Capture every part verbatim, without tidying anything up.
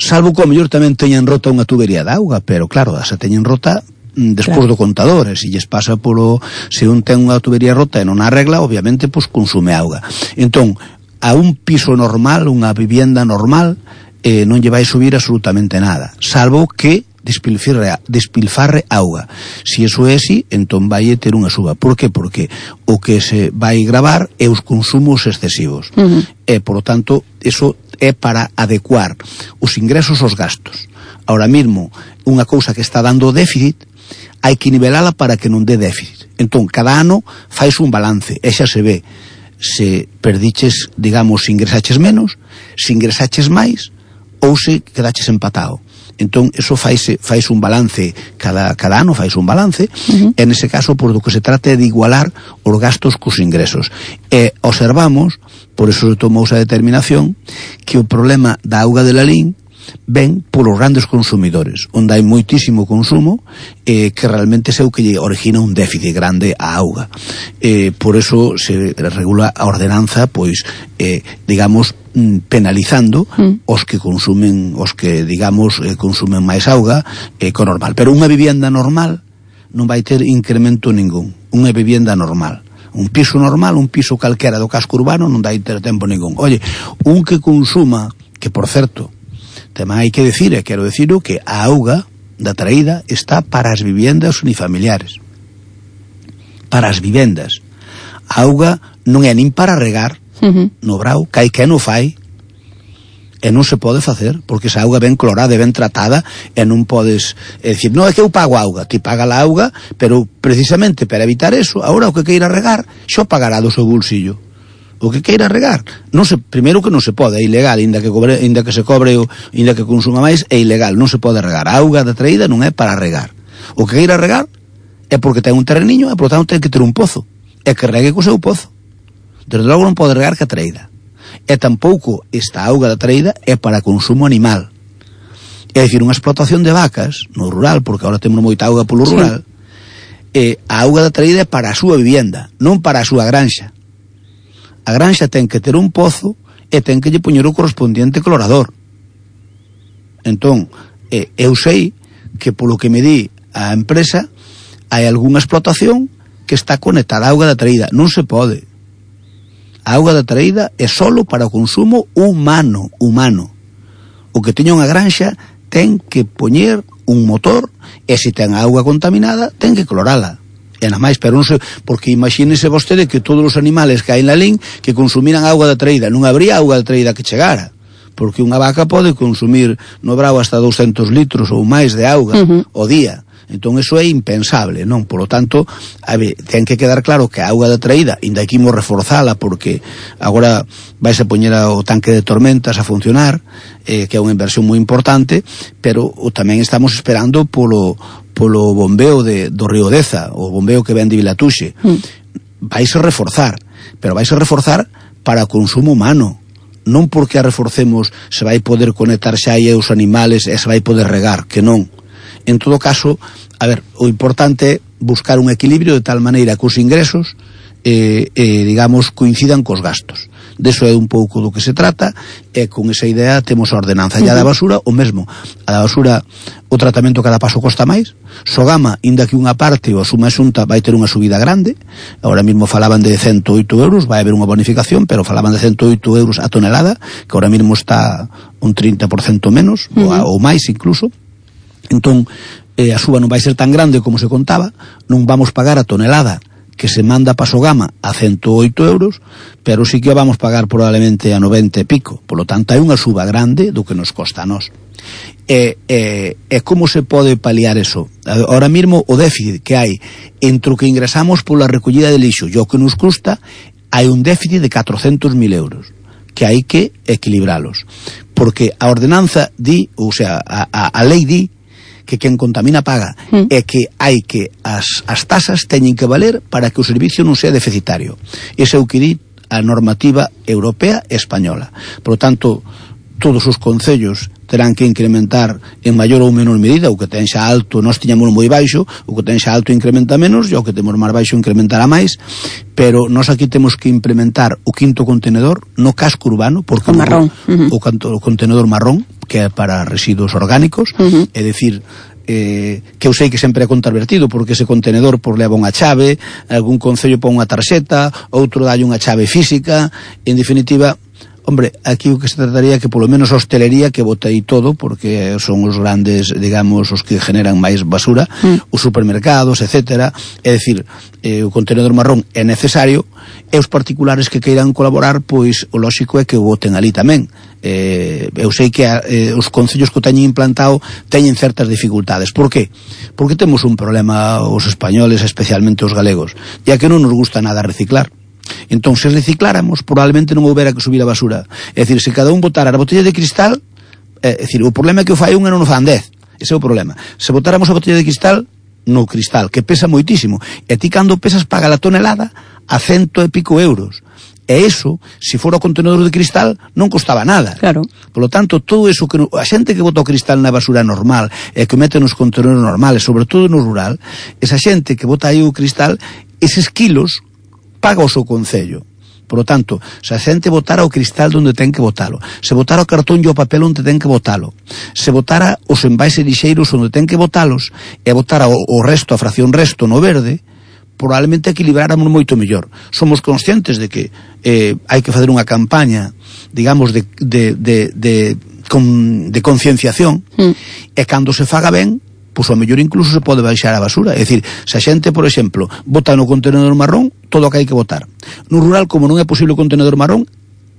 salvo que ao mellor tamén teñen rota unha tubería de auga, pero claro, se teñen rota despois claro. do contador, e se lles pasa polo, se un ten unha tubería rota e non arregla, obviamente, pois consume auga. Entón, a un piso normal, unha vivienda normal, eh, non lle vai subir absolutamente nada, salvo que despilfarre, despilfarre auga. Si eso é así, entón vai ter unha suba. Por que? Porque o que se vai gravar é os consumos excesivos. Uh-huh. E, por lo tanto, eso é para adecuar os ingresos aos gastos. Ahora mismo, unha cousa que está dando déficit, hai que nivelala para que non dé déficit. Entón, cada ano fais un balance, e xa se ve se perdiches, digamos, se ingresaches menos, se ingresaches máis, ou se quedaches empatado. Entón, eso faise, faise un balance, cada, cada ano faise un balance, uh-huh. e nese caso, por do que se trata é de igualar os gastos cos ingresos. E observamos, por eso se tomou esa determinación, que o problema da auga de Lalín ven polos grandes consumidores, onde hai moitísimo consumo, eh, que realmente é o que lle origina un déficit grande á auga. Eh, por eso se regula a ordenanza, pois, eh, digamos, penalizando mm. os que consumen, os que, digamos, eh, consumen máis auga eh, co normal. Pero unha vivienda normal non vai ter incremento ningún. Unha vivienda normal. Un piso normal, un piso calquera do casco urbano non vai ter tempo ningún. Oye, un que consuma, que por certo, tamén hai que decir, e quero decirlo, que a auga da traída está para as viviendas unifamiliares. Para as vivendas. A auga non é nin para regar, uh-huh. no brao, que hai que non fai, e non se pode facer, porque esa auga ben clorada e ben tratada, e non podes, é dicir, non é que eu pago auga, ti paga a auga, pero precisamente para evitar eso, agora o que queira regar, xo pagará do seu bolsillo. O que queira regar, non se, primeiro que non se pode, é ilegal, inda que cobre, inda que se cobre ou inda que consuma máis, é ilegal, non se pode regar. A auga da traída non é para regar. O que queira regar é porque ten un terreniño, e por tanto ten que ter un pozo, e que regue co seu pozo. Desde logo non pode regar que a traída. E tampouco esta auga da traída é para consumo animal. É dicir, unha explotación de vacas no rural, porque agora temos moita auga polo rural, sí. e a auga da traída é para a súa vivienda, non para a súa granxa. A granxa ten que ter un pozo e ten que lle poñer o correspondiente clorador. Entón, eh, eu sei que polo que me di a empresa hai algunha explotación que está conectada á auga da traída. Non se pode. A auga da traída é solo para o consumo humano, humano. O que teña unha granxa ten que poñer un motor, e se ten auga contaminada ten que clorala. E nada máis, pero non sei, porque imagínese vostede que todos os animales que hai na Lalín que consumiran auga da traída, non habría auga da traída que chegara, porque unha vaca pode consumir no brao hasta douscentos litros ou máis de auga uh-huh. ao día. Entón, eso é impensable, non? Por lo tanto, a ver, ten que quedar claro que a auga da traída, inda aquí imos reforzala, porque agora vais a poñer o tanque de tormentas a funcionar, eh, que é unha inversión moi importante, pero o, tamén estamos esperando polo polo bombeo de, do río Deza, o bombeo que ven de Vilatuxe. Mm. Vais a reforzar, pero vais a reforzar para o consumo humano, non porque a reforcemos se vai poder conectar xa aí os animales e se vai poder regar, que non. En todo caso, a ver, o importante é buscar un equilibrio de tal maneira que os ingresos eh, eh, digamos, coincidan cos gastos. Deso é un pouco do que se trata, e con esa idea temos a ordenanza. E a da basura, o mesmo. A da basura, o tratamento cada paso costa máis. Sogama, inda que unha parte ou a suma xunta vai ter unha subida grande, agora mesmo falaban de ciento oito euros, vai haber unha bonificación, pero falaban de ciento oito euros a tonelada, que ahora mesmo está un trinta por cento menos, uh-huh. ou, ou máis incluso. Entón, eh, a suba non vai ser tan grande como se contaba, non vamos pagar a tonelada que se manda para Sogama a ciento oito euros, pero sí que vamos pagar probablemente a noventa e pico. Por lo tanto, hai unha suba grande do que nos costa a nós. E, e, e como se pode paliar eso? Ahora mesmo o déficit que hai entre o que ingresamos pola recollida de lixo e o que nos custa, hai un déficit de catrocentos mil euros que hai que equilibralos. Porque a ordenanza di, ou sea, a, a, a lei di que quen contamina paga, mm. é que hai que as, as tasas teñen que valer para que o servicio non sea deficitario. Ese é o que di a normativa europea e española. Por lo tanto, todos os concellos terán que incrementar en maior ou menor medida. O que ten xa alto, nós tiñamos moi baixo, o que ten xa alto incrementa menos, e o que temos máis baixo incrementará máis, pero nós aquí temos que implementar o quinto contenedor no casco urbano, porque o marrón, o, uh-huh. o, o contenedor marrón, que é para residuos orgánicos, uh-huh. é dicir, eh, que eu sei que sempre é contravertido, porque ese contenedor por leva unha chave, algún concello pon unha tarxeta, outro dalle unha chave física, en definitiva. Hombre, aquí o que se trataría que polo menos a hostelería que bote aí todo, porque son os grandes, digamos, os que generan máis basura, mm. os supermercados, etcétera. É dicir, eh, o contenedor marrón é necesario, e os particulares que queiran colaborar, pois o lóxico é que o boten ali tamén. Eh, eu sei que eh, os concellos que o teñen implantado teñen certas dificultades. Por qué? Porque temos un problema os españoles, especialmente os galegos, ya que non nos gusta nada reciclar. Entón, se recicláramos, probablemente non houbera que subir a basura. É dicir, se cada un botara a botella de cristal, é dicir, o problema é que o fai un e non o fan dez. Ese é o problema. Se botáramos a botella de cristal no cristal, que pesa moitísimo, e ti cando pesas paga la tonelada a cento e pico euros. E eso, se fora o contenedor de cristal, non costaba nada. Claro. Por lo tanto, todo eso que a xente que bota o cristal na basura normal e que mete nos contenedores normales, sobre todo no rural, esa xente que bota aí o cristal, eses kilos paga o seu concello. Por lo tanto, se a xente botara o cristal onde ten que botalo, se botara o cartón e o papel onde ten que botalo, se botara os envases lixeiros onde ten que botalos, e botara o, o resto, a fracción resto no verde, probablemente equilibráramos moito mellor. Somos conscientes de que eh, hai que fazer unha campaña, digamos, de, de, de, de, con, de concienciación, mm. e cando se faga ben, pois ao mellor incluso se pode baixar a basura. É dicir, se a xente, por exemplo, bota no contenedor marrón todo o que hai que botar. No rural, como non é posible o contenedor marrón,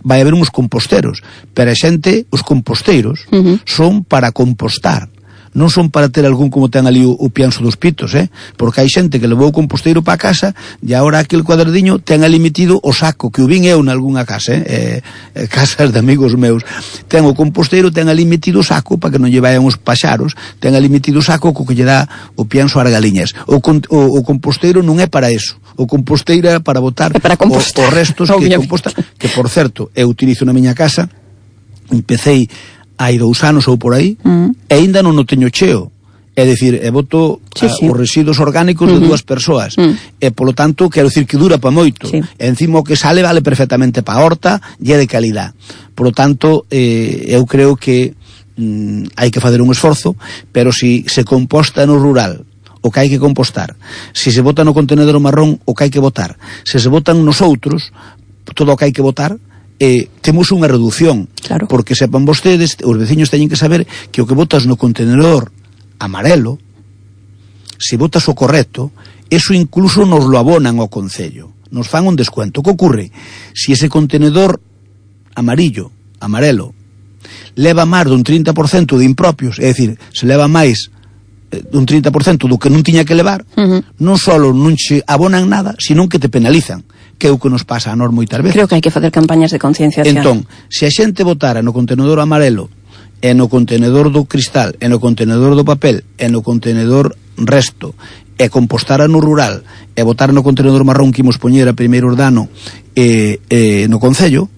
vai haber uns composteros, pero a xente, os composteiros, uh-huh. son para compostar, non son para ter algún como ten ali o, o pianso dos pitos, eh? Porque hai xente que levou o composteiro para casa e agora aquel cuadradiño ten ali metido o saco, que o vin eu nalgúna casa, eh? eh casas de amigos meus, ten o composteiro, ten ali metido o saco para que non lle vayan os paxaros, ten ali metido o saco co que lle dá o pianso ás galiñas. O, o, o composteiro non é para eso, o composteiro é para botar para os restos que composta, que por certo, eu utilizo na miña casa, empecéi hai dous anos ou por aí, mm. e ainda non o teño cheo. É dicir, e boto sí, a, sí. os residuos orgánicos mm-hmm. de dúas persoas. Mm. E, polo tanto, quero dicir que dura pa moito. Sí. E encima o que sale vale perfectamente pa horta e é de calidad. Por lo tanto, eh, eu creo que mm, hai que fazer un esforzo, pero si se composta no rural o que hai que compostar, si se bota no contenedor marrón o que hai que botar, se se botan nos outros todo o que hai que botar, eh, temos unha reducción, claro. Porque sepan vostedes, os veciños teñen que saber que o que botas no contenedor amarelo, se botas o correcto, eso incluso nos lo abonan ao concello, nos fan un descuento. Que ocorre? Si ese contenedor amarillo, amarelo, leva máis dun trinta por cento de impropios, é dicir, se leva máis dun trinta por cento do que non tiña que levar, uh-huh. non só non se abonan nada, sino que te penalizan, que é o que nos pasa a nós moitas veces. Creo que hai que facer campañas de concienciación. Entón, se a xente votara no contenedor amarelo, e no contenedor do cristal, e no contenedor do papel, e no contenedor resto, e compostara no rural, e votara no contenedor marrón que imos poñer a primeiro dano e, e no concello,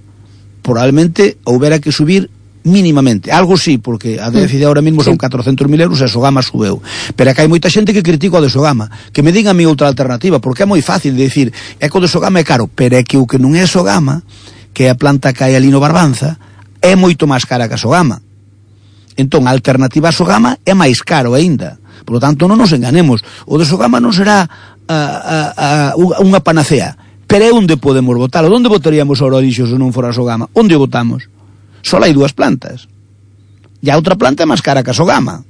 probablemente houbera que subir mínimamente, algo sí, porque a déficit ahora mesmo son catrocentos mil euros e a Sogama subeu, pero é que hai moita xente que critica o de Sogama, que me diga a mí outra alternativa, porque é moi fácil de dicir, é que o de Sogama é caro, pero é que o que non é Sogama, que é a planta que hai ali no Barbanza, é moito máis cara que a Sogama. Entón, a alternativa a Sogama é máis caro aínda. Por lo tanto, non nos enganemos, o de Sogama non será a, a, a, unha panacea, pero é onde podemos botalo. Onde botaríamos o orixo se non fora a Sogama? Onde o botamos? Só hai dúas plantas. E a outra planta é máis cara que a Sogama.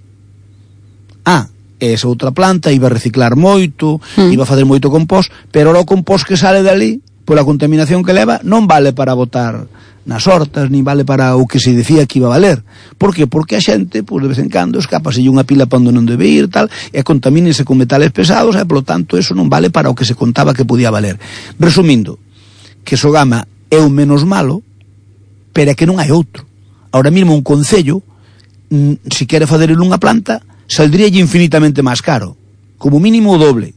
Ah, esa outra planta iba a reciclar moito, mm. iba a fazer moito compost, pero o compost que sale dali, pola contaminación que leva, non vale para botar nas hortas, ni vale para o que se decía que iba a valer. Por que? Porque a xente, pois, de vez en cando, escapase unha pila para onde non debe ir, tal, e contamínese con metales pesados, e, polo tanto, eso non vale para o que se contaba que podía valer. Resumindo, que Sogama é o menos malo, pero é que non hai outro. Ahora mesmo un concello, se quere fazer en unha planta, saldría infinitamente máis caro, como mínimo o doble.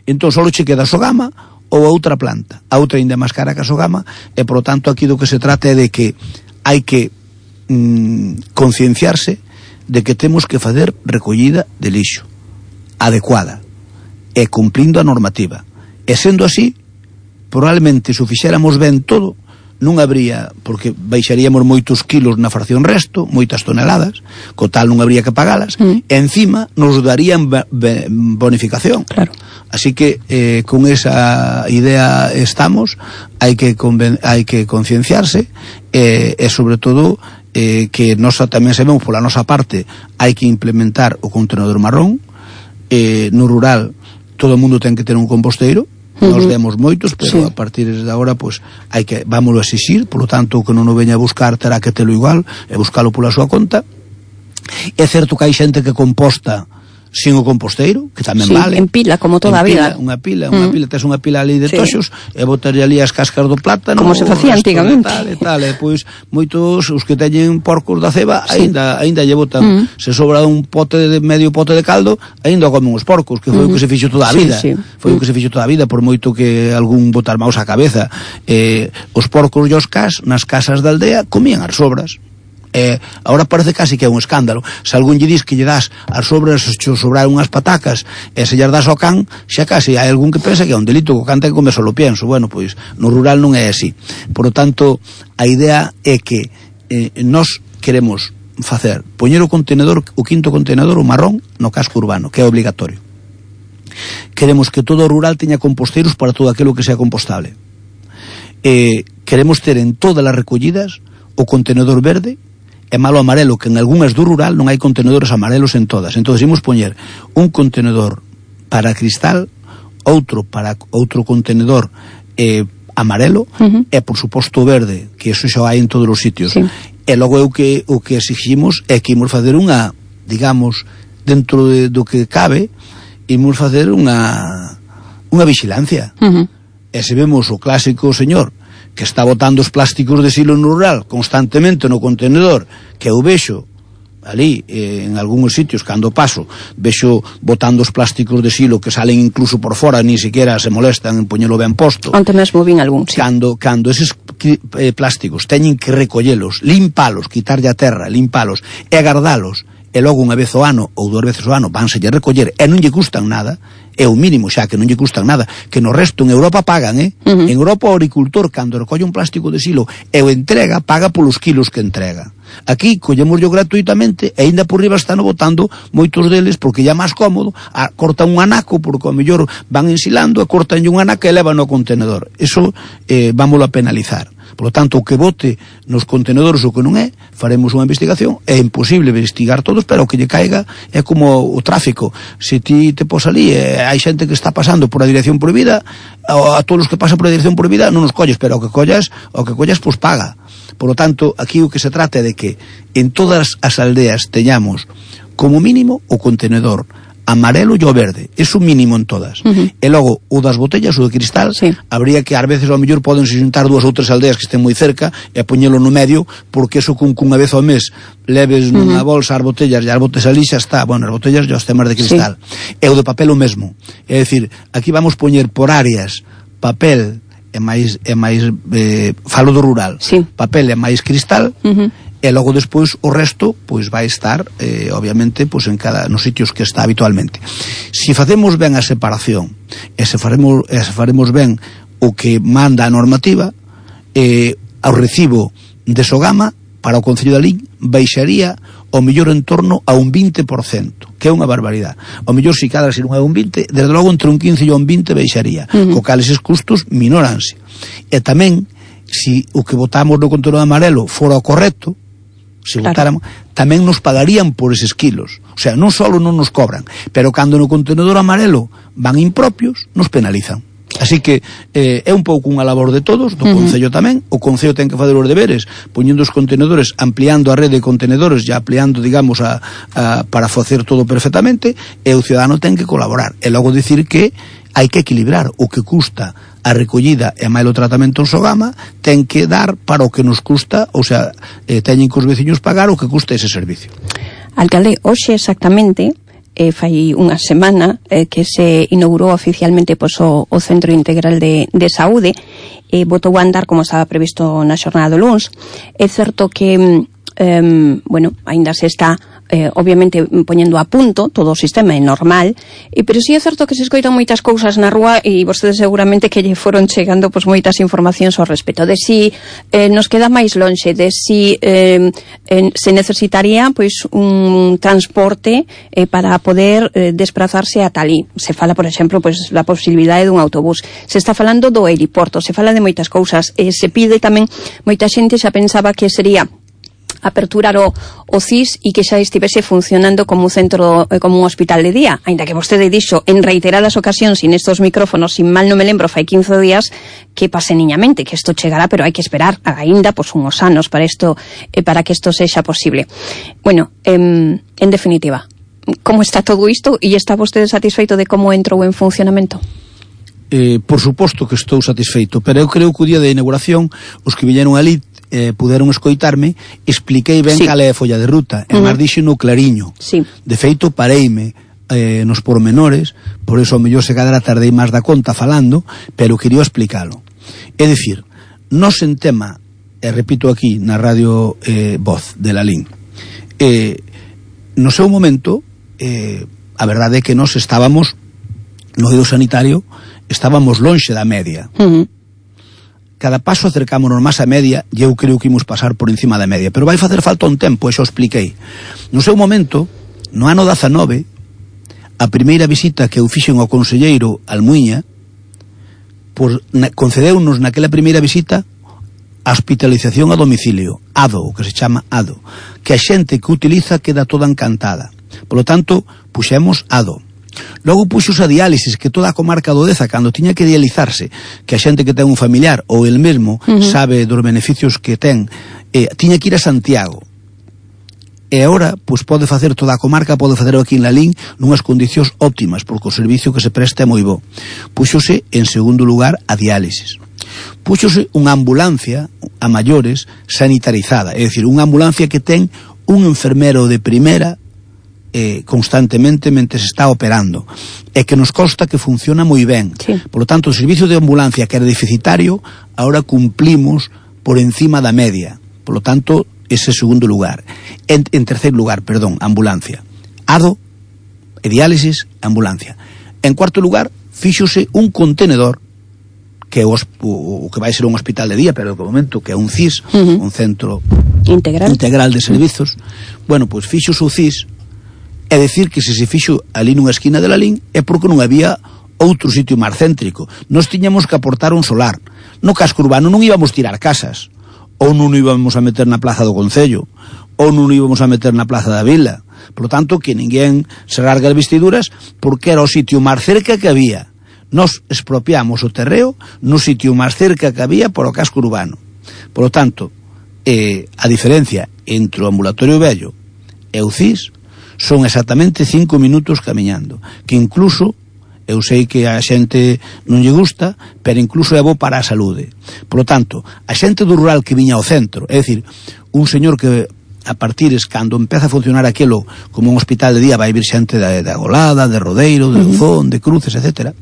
Entón só che queda Sogama ou a outra planta. A outra ainda máis cara que a Sogama, e por lo tanto aquí do que se trata é de que hai que mm, concienciarse de que temos que fazer recollida de lixo adecuada e cumplindo a normativa, e sendo así probablemente se o fixéramos ben todo non habría, porque baixaríamos moitos kilos na fracción resto, moitas toneladas, co tal non habría que pagalas, mm. e encima nos darían bonificación. Claro. Así que eh, con esa idea estamos, hai que conven- hai que concienciarse eh, e sobre todo eh, que nós tamén sabemos pola nosa parte hai que implementar o contenedor marrón. Eh, no rural todo o mundo ten que ter un composteiro. Nos demos moitos, pero sí. A partir de agora pois hai que vámoslo a exixir, polo tanto o que non o veña a buscar terá que telo igual e buscalo pola súa conta. É certo que hai xente que composta sin o composteiro, que tamén sí, vale. En pila, como toda a vida. Unha pila, unha mm. pila, tes unha pila ali de sí. toxos e botarlle ali as cascas do plátano. Como se facía antigamente. Tal, e tal, e pois moitos os que teñen porcos da ceba sí. aínda aínda lle botan, mm. se sobra un pote de medio pote de caldo, aínda comen os porcos, que foi mm. o que se fixo toda a vida. Sí, sí. Foi mm. o que se fixo toda a vida, por moito que algún botar maus á cabeza. Eh, os porcos e os cas nas casas da aldea comían as sobras. Eh, ahora parece casi que é un escándalo. Se algún lle dis que lle das as sobras, se sobrar unhas patacas e se llas das ao can, xa casi hai algún que pensa que é un delito, que o can ten que comer solo pienso. Bueno, pois no rural non é así. Por lo tanto, a idea é que eh, nós queremos facer, poñer o contenedor, o quinto contenedor, o marrón, no casco urbano, que é obligatorio. Queremos que todo o rural teña composteiros para todo aquilo que sea compostable. Eh, queremos ter en todas as recollidas o contenedor verde e malo amarelo, que en algunhas do rural non hai contenedores amarelos en todas. Entón, imos poñer un contenedor para cristal, outro para outro contenedor eh, amarelo, uh-huh. e, por suposto, verde, que eso xa hai en todos os sitios. Sí. E logo o que, o que exigimos é que imos fazer unha, digamos, dentro de, do que cabe, imos fazer unha, unha vigilancia. Uh-huh. E se vemos o clásico señor que está botando os plásticos de silo no rural constantemente no contenedor, que eu vexo ali, eh, en algúns sitios, cando paso, vexo botando os plásticos de silo que salen incluso por fora, ni siquiera se molestan en poñelo ben posto. Onte mesmo vin algún, sí. Cando, cando eses eh, plásticos teñen que recollelos, limpalos, quitarlle a terra, limpalos, e agardalos, e logo unha vez ao ano, ou dúas veces ao ano, vánselle recoller, e non lle custan nada, é o mínimo xa, que non lle custan nada, que no resto en Europa pagan, eh? Uh-huh. En Europa o agricultor, cando recolle un plástico de silo e o entrega, paga polos kilos que entrega. Aquí collemoslo gratuitamente e ainda por riba están botando moitos deles porque ya máis cómodo, a, cortan un anaco porque ao mellor van ensilando e cortan un anaco e levan no contenedor. Eso eh, vámoslo a penalizar. Por lo tanto, o que bote nos contenedores o que non é, faremos unha investigación. É imposible investigar todos, pero o que lle caiga é como o tráfico. Se ti te pos ali e hai xente que está pasando por a dirección prohibida, a, a todos os que pasan por a dirección prohibida non os colles, pero o que collas, o que collas, pois paga. Por lo tanto, aquí o que se trata é de que en todas as aldeas teñamos como mínimo o contenedor amarelo e o verde, é o mínimo en todas. Uh-huh. E logo, o das botellas, o de cristal, sí. Habría que, ás veces, ao mellor, podense xuntar dúas ou tres aldeas que estén moi cerca e poñelo no medio, porque eso con cunha vez ao mes leves uh-huh. nunha bolsa as botellas e as botes ali xa está, bueno, as botellas e os temas de cristal. Sí. E o de papel o mesmo. É dicir, aquí vamos poñer por áreas papel e máis, e máis eh, falo do rural, sí. Papel e máis cristal, uh-huh. E logo despois o resto pois vai estar eh, obviamente pois en cada nos sitios que está habitualmente. Se facemos ben a separación e se faremos, e se faremos ben o que manda a normativa, eh, ao recibo de Sogama para o Concello de Lalín baixaría ao mellor en torno a un vinte por cento, que é unha barbaridade. Ao mellor se cada se non é un vinte, desde logo entre un quince e un vinte baixaría, uh-huh. co cal eses custos minoranse. E tamén, se o que votamos no contenedor amarelo fora o correcto, se claro. Votáramos, tamén nos pagarían por eses kilos. O sea, non só non nos cobran, pero cando no contenedor amarelo van impropios, nos penalizan. Así que eh, é un pouco unha labor de todos, do uh-huh. Concello tamén. O Concello ten que fazer os deberes, poñendo os contenedores, ampliando a rede de contenedores, e ampliando, digamos, a, a, para facer todo perfectamente, e o cidadano ten que colaborar. E logo dicir que hai que equilibrar o que custa a recollida e máis o tratamento en Sogama, ten que dar para o que nos custa, ou sea, eh, teñen que os veciños pagar o que custa ese servicio. Alcalde, hoxe exactamente, eh, fai unha semana eh, que se inaugurou oficialmente pois, o, o Centro Integral de, de Saúde, e eh, botou a andar como estaba previsto na xornada do luns. É certo que eh, bueno, aínda se está eh, obviamente poñendo a punto todo o sistema é normal, e, pero si é certo que se escoitan moitas cousas na rúa e vostedes seguramente que lle foron chegando pois moitas informacións ao respecto de si eh, nos queda máis lonxe, de si eh, eh, se necesitaría pois un transporte eh, para poder eh, desplazarse a talí. Se fala, por exemplo, pois da posibilidade dun autobús, se está falando do aeroporto, se fala de moitas cousas, e se pide tamén, moita xente xa pensaba que sería aperturar o, o C I S e que xa estivese funcionando como un centro, como un hospital de día, aínda que vostede dixo en reiteradas ocasións, sin estos micrófonos, sin mal non me lembro, fai quince días, que pase niñamente, que isto chegará, pero hai que esperar aínda pois unhos anos para isto, eh, para que isto sexa posible. Bueno, eh, en definitiva, como está todo isto e está vostede satisfeito de como entrou en funcionamento? Eh, por suposto que estou satisfeito, pero eu creo que o día de inauguración os que viñeron ali eh, puderon escoitarme, expliquei ben sí. cal é a folla de ruta, uh -huh. e máis dixo no clariño. Sí. De feito, pareime eh, nos pormenores, por eso ao mellor se cadra tardei máis da conta falando, pero quería explicalo. É dicir, nos en tema, e repito aquí na radio eh, Voz de Lalín, eh, no seu momento, eh, a verdade é que nos estábamos no eido sanitario, estábamos lonxe da media. Uh -huh. Cada paso acercámonos máis a media e eu creo que imos pasar por encima da media, pero vai facer falta un tempo, e xa o expliquei. No seu momento, no ano dezanove, a primeira visita que eu fixen ao conselleiro Almuiña, por, na, concedeunos naquela primeira visita a hospitalización a domicilio, A D O, o que se chama A D O, que a xente que utiliza queda toda encantada. Por lo tanto, puxemos A D O. Logo puxos a diálisis, que toda a comarca do Deza, cando tiña que dializarse, que a xente que ten un familiar ou el mesmo uh -huh. sabe dos beneficios que ten, eh, tiña que ir a Santiago. E agora, pois pode facer toda a comarca, pode facer aquí en Lalín nunhas condicións óptimas, porque o servicio que se presta é moi bo. Puxose, en segundo lugar, a diálisis. Puxose unha ambulancia a maiores sanitarizada, é dicir, unha ambulancia que ten un enfermero de primeira Eh, constantemente mentre se está operando, e que nos consta que funciona moi ben. Sí. Por lo tanto, o servicio de ambulancia que era deficitario, ahora cumplimos por encima da media. Por lo tanto, ese segundo lugar. En, en tercer lugar, perdón, ambulancia. A D O, e diálisis, ambulancia. En cuarto lugar, fíxose un contenedor que o, o que vai ser un hospital de día, pero de momento que é un C I S, uh -huh. un centro integral, integral de servizos. Bueno, pois fíxose o C I S. É dicir que se se fixo ali nunha esquina de Lalín é porque non había outro sitio máis céntrico. Nos tiñamos que aportar un solar. No casco urbano non íbamos tirar casas, ou non íbamos a meter na plaza do Concello, ou non íbamos a meter na plaza da Vila. Por lo tanto, que ninguén se rasga as vestiduras, porque era o sitio máis cerca que había. Nos expropiamos o terreo no sitio máis cerca que había por o casco urbano. Por lo tanto, eh, a diferencia entre o ambulatorio vello e o C I S son exactamente cinco minutos camiñando, que incluso, eu sei que a xente non lle gusta, pero incluso é bo para a saúde. Por lo tanto, a xente do rural que viña ao centro, é dicir, un señor que a partires, cando empeza a funcionar aquilo como un hospital de día, vai vir xente de, de Agolada, de Rodeiro, de Luzón, de Cruces, etcétera,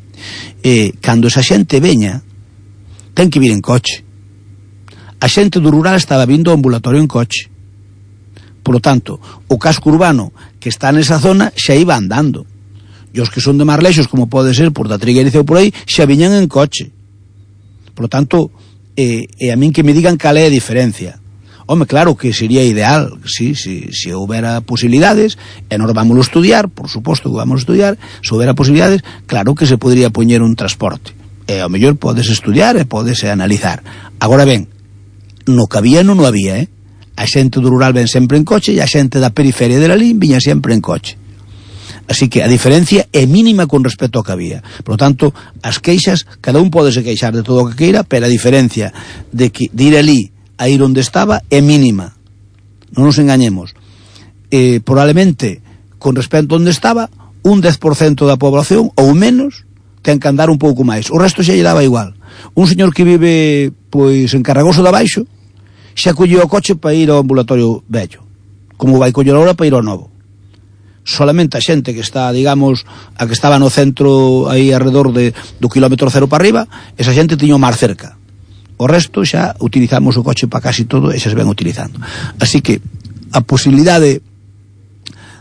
e cando esa xente veña, ten que vir en coche. A xente do rural estaba vindo ao ambulatorio en coche. Por lo tanto, o casco urbano que está nesa zona xa iba andando. E os que son de máis lexos, como pode ser por da Trigueriza ou por aí, xa viñan en coche. Por lo tanto, eh, e a min que me digan cal é a diferencia. Home, claro que sería ideal, sí, si, si houbera posibilidades, e nós vámoslo estudiar, por suposto que vamos a estudiar, se houbera posibilidades, claro que se podría poñer un transporte. E ao mellor podes estudiar e podes analizar. Agora ben, no que había non o había, eh? A xente do rural ven sempre en coche e a xente da periferia de Lalín viña sempre en coche. Así que a diferencia é mínima con respecto ao que había. Por lo tanto, as queixas, cada un pode se queixar de todo o que queira, pero a diferencia de, que, de ir ali a ir onde estaba é mínima. Non nos engañemos. Eh, probablemente, con respecto a onde estaba, un dez por cento da población, ou menos, ten que andar un pouco máis. O resto xa lle daba igual. Un señor que vive, pois, en Carragoso de Abaixo, xa colleu o coche para ir ao ambulatorio vello, como vai coller ahora para ir ao novo. Solamente a xente que está, digamos, a que estaba no centro aí alrededor de, do kilómetro cero para arriba, esa xente tiño máis cerca. O resto xa utilizamos o coche para casi todo e xa se ven utilizando. Así que a posibilidade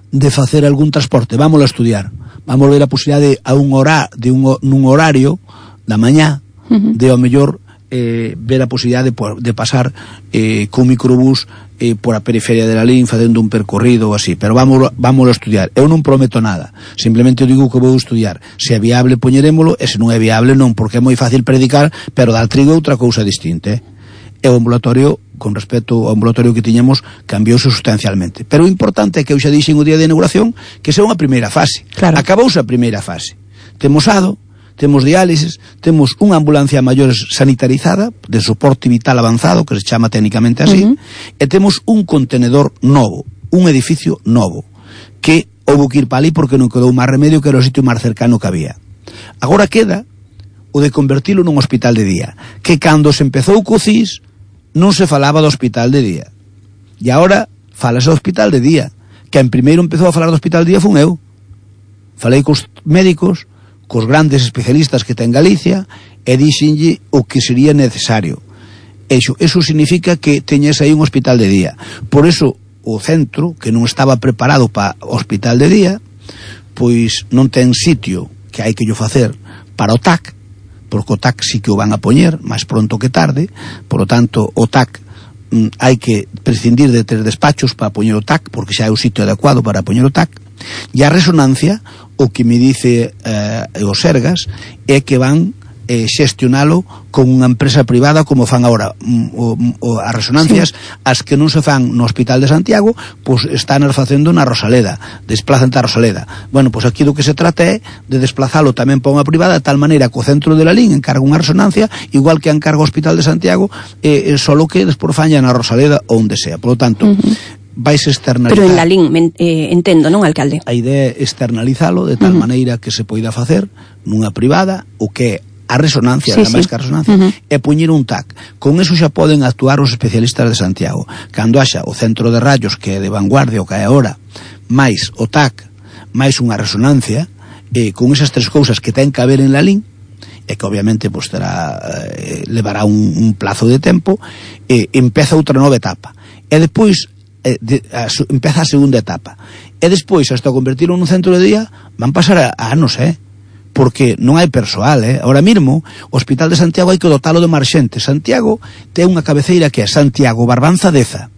de facer algún transporte, vamos a estudiar, vamos a ver a posibilidade a un hora, de un, nun horario da mañá, uh-huh. de ao mellor eh, ver a posibilidade de, de pasar eh, con microbús eh, por a periferia de la Lalín facendo un percorrido ou así, pero vamos, vamos a estudiar. Eu non prometo nada, simplemente digo que vou estudiar. Se é viable poñerémolo, e se non é viable non, porque é moi fácil predicar, pero dar trigo é outra cousa distinta, eh? E o ambulatorio, con respecto ao ambulatorio que tiñamos, cambiouse sustancialmente. Pero o importante é que eu xa dixen o día de inauguración que sea unha primeira fase. Claro. Acabouse a primeira fase. Temos ado, temos diálisis, temos unha ambulancia maiores sanitarizada, de soporte vital avanzado, que se chama técnicamente así, uh-huh. e temos un contenedor novo, un edificio novo, que houve que ir para ali porque non quedou máis remedio, que era o sitio máis cercano que había. Agora queda o de convertilo nun hospital de día, que cando se empezou co C I S non se falaba do hospital de día, e agora falase do hospital de día. Que en primeiro empezou a falar do hospital de día fun eu. Falei cos médicos, cos grandes especialistas que ten Galicia, e dixenlle o que sería necesario. Eso, eso significa que teñes aí un hospital de día. Por eso o centro, que non estaba preparado para hospital de día, pois non ten sitio, que hai que yo facer para o T A C, porque o T A C sí que o van a poñer máis pronto que tarde. Por lo tanto, o T A C mm, hai que prescindir de tres despachos para poñer o T A C, porque xa é o sitio adecuado para poñer o T A C. E a resonancia, o que me dice eh, o Sergas, é que van eh, xestionalo con unha empresa privada, como fan agora o, o, as resonancias, sí. As que non se fan no Hospital de Santiago, pois están as facendo na Rosaleda, desplazan a Rosaleda. Bueno, pois aquí do que se trata é de desplazalo tamén para unha privada, de tal maneira que o centro de la Lalín encarga unha resonancia, igual que encarga o Hospital de Santiago, eh, solo que despois faña na Rosaleda ou onde sea. Por lo tanto, uh-huh. vais externalizar. Pero en Lalín, eh, entendo, non, alcalde? A idea é externalizalo de tal uh-huh. maneira que se poida facer nunha privada, o que é a resonancia, sí, máis sí. que a resonancia, uh-huh. e poñer un T A C. Con eso xa poden actuar os especialistas de Santiago. Cando haxa o centro de rayos, que é de vanguardia, o que é agora, máis o T A C, máis unha resonancia, eh, con esas tres cousas que ten que haber en Lalín, e que obviamente pues, terá, eh, levará un, un plazo de tempo, eh, empeza outra nova etapa. E depois eh, de, a, empeza a segunda etapa. E despois, hasta convertirlo nun centro de día, van pasar a, a anos, eh? Porque non hai persoal, eh? Ahora mesmo, o Hospital de Santiago hai que dotalo de máis xente. Santiago ten unha cabeceira que é Santiago Barbanza Deza.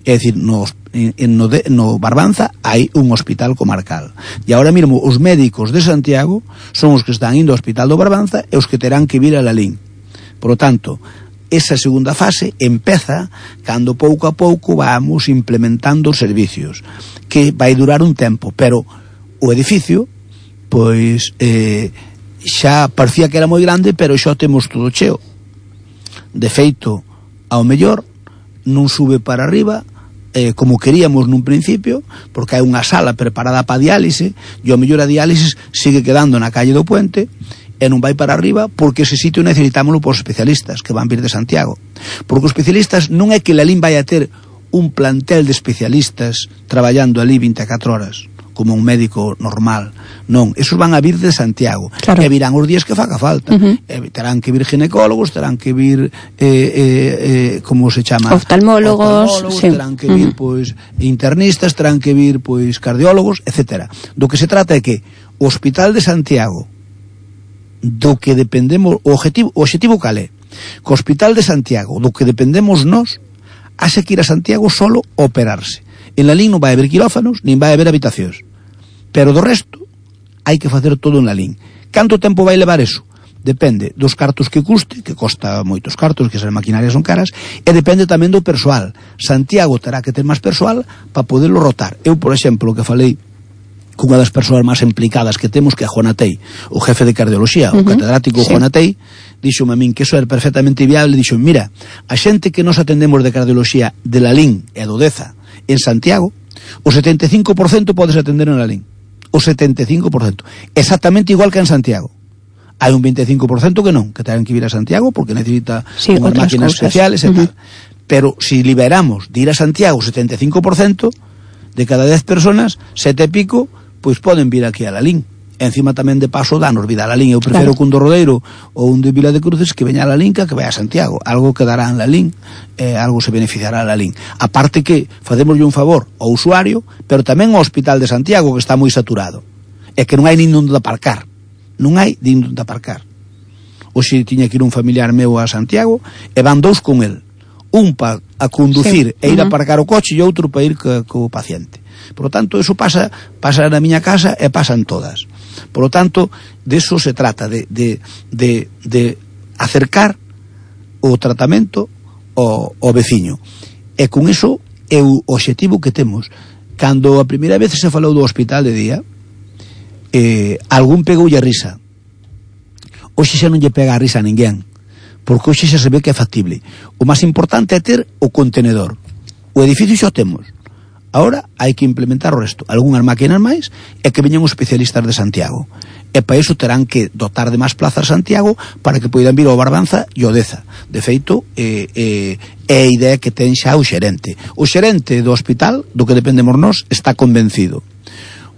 É dicir, no, en, no, de, no Barbanza hai un hospital comarcal. E agora mesmo os médicos de Santiago son os que están indo ao Hospital do Barbanza e os que terán que vir a Lalín. Por lo tanto, esa segunda fase empeza cando pouco a pouco vamos implementando os servicios, que vai durar un tempo, pero o edificio pois eh, xa parecía que era moi grande, pero xa temos todo cheo. De feito, ao mellor non sube para arriba eh, como queríamos nun principio, porque hai unha sala preparada para diálise, e ao mellor a diálisis sigue quedando na calle do Puente e non vai para arriba, porque ese sitio necesitámoslo por especialistas que van vir de Santiago. Porque os especialistas non é que Lalín vai a ter un plantel de especialistas traballando ali vinte e catro horas como un médico normal, non, esos van a vir de Santiago, claro. E virán os días que faga falta, uh-huh. e terán que vir ginecólogos, terán que vir eh, eh, eh, como se chama? Oftalmólogos, oftalmólogos sí. Terán que vir, uh-huh. pois, internistas, terán que vir, pois, cardiólogos, etcétera. Do que se trata é que o Hospital de Santiago, do que dependemos, o objetivo, o objetivo cal é? Que o Hospital de Santiago, do que dependemos nós, haxe que ir a Santiago solo operarse. En Lalín non vai haber quirófanos, nin vai haber habitacións. Pero do resto, hai que facer todo en Lalín. Canto tempo vai levar eso? Depende dos cartos que custe, que costa moitos cartos, que as maquinarias son caras, e depende tamén do persoal. Santiago terá que ter máis persoal para poderlo rotar. Eu, por exemplo, que falei cunha das persoas máis implicadas que temos, que é Juan Atei, o jefe de cardioloxía, uh-huh. o catedrático sí. Juan Atei, dixome a min que eso era perfectamente viable, dixo, mira, a xente que nos atendemos de cardioloxía de Lalín e do Deza en Santiago, o setenta e cinco por cento podes atender en Lalín. O setenta e cinco por cento. Exactamente igual que en Santiago. Hai un vinte e cinco por cento que non, que terán que ir a Santiago porque necesita sí, unhas máquinas cosas. especiales e uh-huh. tal. Pero si liberamos de ir a Santiago o setenta e cinco por cento de cada dez personas, sete e pico, pois poden vir aquí a Lalín. encima tamén de paso danos vida a Lalín. Eu prefiro claro. que un do Rodeiro ou un de Vila de Cruces que veña a Lalín que que vai a Santiago. Algo quedará en Lalín, eh, algo se beneficiará a Lalín. Aparte que facémoslle un favor ao usuario, pero tamén ao Hospital de Santiago, que está moi saturado. É que non hai nin onde aparcar. Non hai nin onde aparcar. Hoxe tiña que ir un familiar meu a Santiago e van dous con el. Un para a conducir sí. e ir a aparcar o coche e outro para ir co, co paciente. Por lo tanto, eso pasa pasa na miña casa e pasan todas. Por lo tanto, de eso se trata, de, de, de, de acercar o tratamento ao, ao veciño. E con eso é o obxectivo que temos. Cando a primeira vez se falou do hospital de día, eh, algún pegoulle a risa. Hoxe xa non lle pega a risa a ninguén, porque hoxe xa se ve que é factible. O máis importante é ter o contenedor. O edificio xa o temos. Ahora hai que implementar o resto, algunhas máquinas máis, e que veñan os especialistas de Santiago. E para iso terán que dotar de máis plazas Santiago para que poidan vir ao Barbanza e ao Deza. De feito, é eh, eh, a idea que ten xa o xerente. O xerente do hospital, do que dependemos nós, está convencido.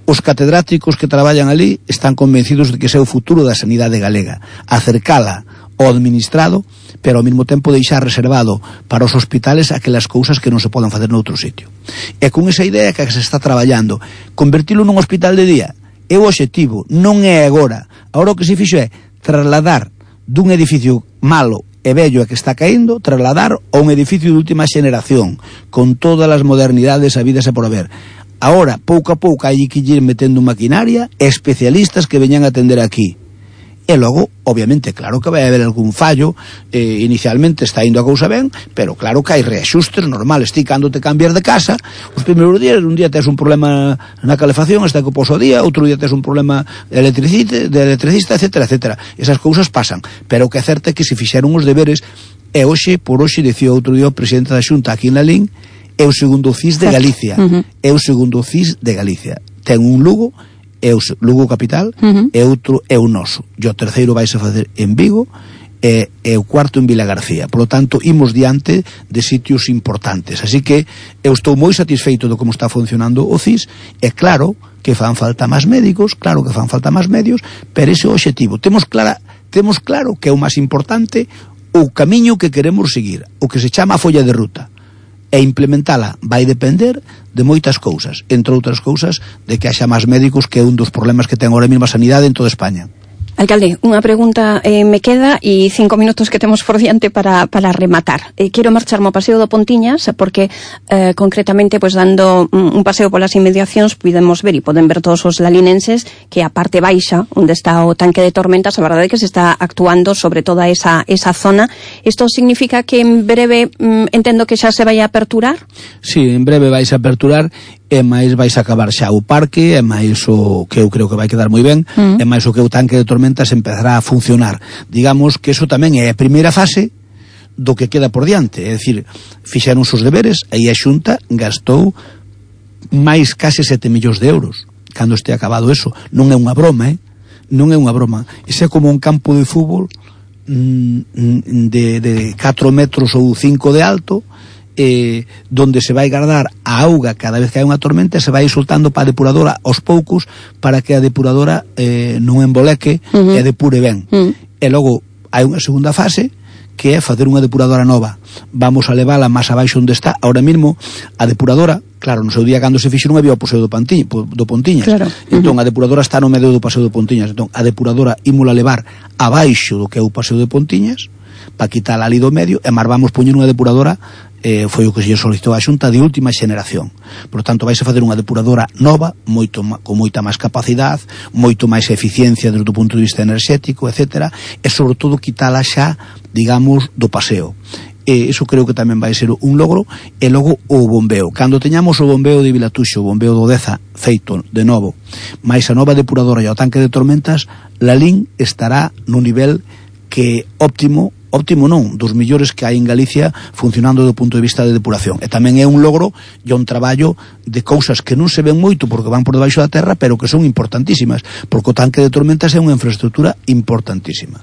Os catedráticos que traballan ali están convencidos de que ese é o futuro da sanidade galega. Acercala ao administrado, pero ao mesmo tempo deixar reservado para os hospitales aquelas cousas que non se poden facer noutro sitio. E con esa idea que se está traballando, convertilo nun hospital de día é o obxectivo, non é agora. Agora o que se fixo é trasladar dun edificio malo e vello e que está caendo, trasladar a un edificio de última xeneración, con todas as modernidades habidas e por haber. Ahora, pouco a pouco, hai que ir metendo maquinaria e especialistas que veñan a atender aquí. E logo, obviamente, claro que vai haber algún fallo, eh, inicialmente está indo a cousa ben, pero claro que hai reaxustes normales. Ti, cando te cambias de casa, os primeiros días, un día tes un problema na calefacción, hasta que poso o día, outro día tes un problema de electricista, de electricista, etcétera, etcétera. Esas cousas pasan, pero o que é certo é que se fixeron os deberes, e hoxe, por hoxe, dicía outro día o presidente da Xunta aquí en Lalín, é o segundo C I S de Galicia, uh -huh. é o segundo C I S de Galicia. Ten un Lugo, é o Lugo capital, uh -huh. e outro é o noso. E o terceiro vai a facer en Vigo, e, e o cuarto en Vila García. Por lo tanto, imos diante de sitios importantes. Así que eu estou moi satisfeito de como está funcionando o C I S. É claro que fan falta máis médicos, claro que fan falta máis medios, pero ese é o obxectivo. Temos, clara, temos claro que é o máis importante o camiño que queremos seguir, o que se chama a folla de ruta. E implementala vai depender de moitas cousas, entre outras cousas de que haxa máis médicos, que é un dos problemas que ten agora mesmo a sanidade en toda España. Alcalde, unha pregunta eh, me queda e cinco minutos que temos por diante para, para rematar. Eh, quero marcharme ao Paseo do Pontiñas porque eh, concretamente, pues, dando un paseo polas inmediacións podemos ver e poden ver todos os lalinenses que a parte baixa, onde está o tanque de tormentas, a verdade é que se está actuando sobre toda esa, esa zona. Isto significa que en breve mm, entendo que xa se vai a aperturar? Sí, en breve vais a aperturar, e máis vais a acabar xa o parque, e máis o que eu creo que vai quedar moi ben, mm. e máis o que o tanque de tormentas empezará a funcionar. Digamos que eso tamén é a primeira fase do que queda por diante, é dicir, fixeron os deberes, aí a Xunta gastou máis case sete millóns de euros. Cando este acabado eso, non é unha broma, eh? Non é unha broma. Ese é como un campo de fútbol mm, de, de catro metros ou cinco de alto, Eh, donde se vai guardar a auga cada vez que hai unha tormenta, se vai soltando para a depuradora aos poucos para que a depuradora eh, non emboleque uh -huh. e depure ben. Uh -huh. E logo hai unha segunda fase que é facer unha depuradora nova. Vamos a levala máis abaixo onde está. Ahora mesmo a depuradora, claro, no seu día cando se fixo non había o Paseo do, Pantiña, do Pontiñas. Claro. Entón, uh -huh. a depuradora está no medio do Paseo do Pontiñas. Entón, a depuradora ímola levar abaixo do que é o Paseo de Pontiñas para quitar ali do medio, e máis vamos poñer unha depuradora, eh, foi o que se solicitou a Xunta, de última xeneración. Por tanto, vais a fazer unha depuradora nova, moito con moita máis capacidade, moito máis eficiencia desde o punto de vista enerxético, etcétera, e sobre todo quitala xa, digamos, do paseo. E iso creo que tamén vai ser un logro. E logo o bombeo, cando teñamos o bombeo de Vilatuxo, o bombeo do Deza feito de novo, máis a nova depuradora e o tanque de tormentas, Lalín estará no nivel que óptimo, óptimo non, dos millores que hai en Galicia funcionando do punto de vista de depuración. E tamén é un logro e un traballo de cousas que non se ven moito porque van por debaixo da terra, pero que son importantísimas, porque o tanque de tormentas é unha infraestructura importantísima.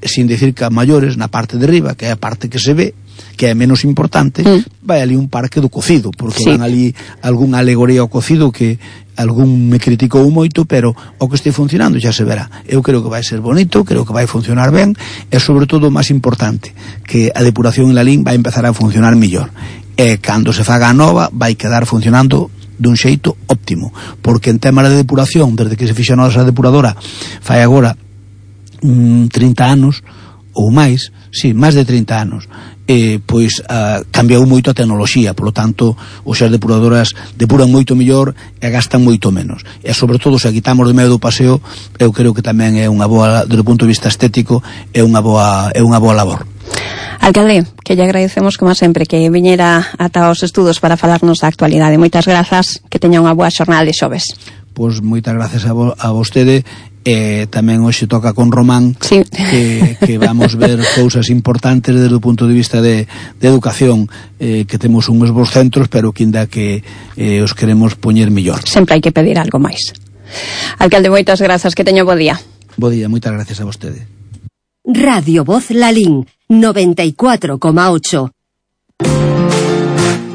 Sin decir que a maiores, na parte de riba, que é a parte que se ve, que é menos importante, mm. vai ali un parque do cocido, porque sí. van ali algún alegoría ao cocido que algún me criticou moito, pero o que este funcionando xa se verá. Eu creo que vai ser bonito, creo que vai funcionar ben, e sobre todo o máis importante, que a depuración en Lalín vai empezar a funcionar mellor. E cando se faga a nova, vai quedar funcionando dun xeito óptimo, porque en tema de depuración, desde que se fixa a nosa depuradora fai agora mm, trinta anos ou máis, sí, máis de trinta anos, eh, pois uh, cambiou moito a tecnoloxía, polo tanto os as depuradoras depuran moito mellor e gastan moito menos, e sobre todo se quitamos de medio do paseo, eu creo que tamén é unha boa, desde o punto de vista estético, é unha boa, é unha boa labor. Alcalde, que lle agradecemos como sempre que viñera ata os estudos para falarnos da actualidade. Moitas grazas, que teña unha boa xornada de xoves. Pois moitas gracias a, vo, a vostede, e tamén hoxe toca con Román, sí. que, que vamos ver cousas importantes desde o punto de vista de, de educación, eh, que temos uns bons centros, pero que ainda que eh, os queremos poñer mellor. Sempre hai que pedir algo máis. Alcalde, moitas grazas, que teña bo día. Bo día, moitas gracias a vostede. Radio Voz Lalín, noventa y cuatro coma ocho.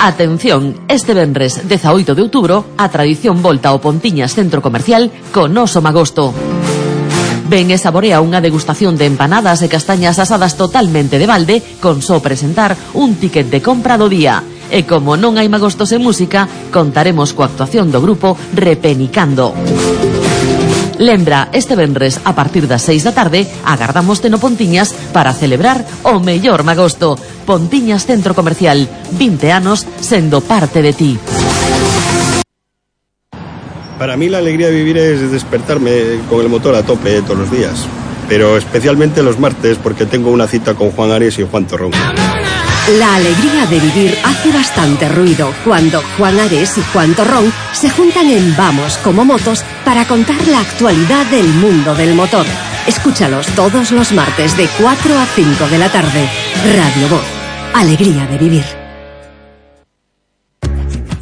Atención, este venres dezaoito de outubro a tradición volta ao Pontiñas Centro Comercial con Oso Magosto. Ven e saborea unha degustación de empanadas e castañas asadas totalmente de balde con só presentar un ticket de compra do día. E como non hai magostos en música, contaremos coa actuación do grupo Repenicando. Lembra, este venres a partir das seis da tarde agardámoste no Pontiñas para celebrar o mellor magosto. Pontiñas Centro Comercial, vinte anos sendo parte de ti. Para mí la alegría de vivir es despertarme con el motor a tope todos los días, pero especialmente los martes porque tengo una cita con Juan Ares y Juan Torrón. La alegría de vivir hace bastante ruido cuando Juan Ares y Juan Torrón se juntan en Vamos como Motos para contar la actualidad del mundo del motor. Escúchalos todos los martes de cuatro a cinco de la tarde. Radio Voz. Alegría de vivir.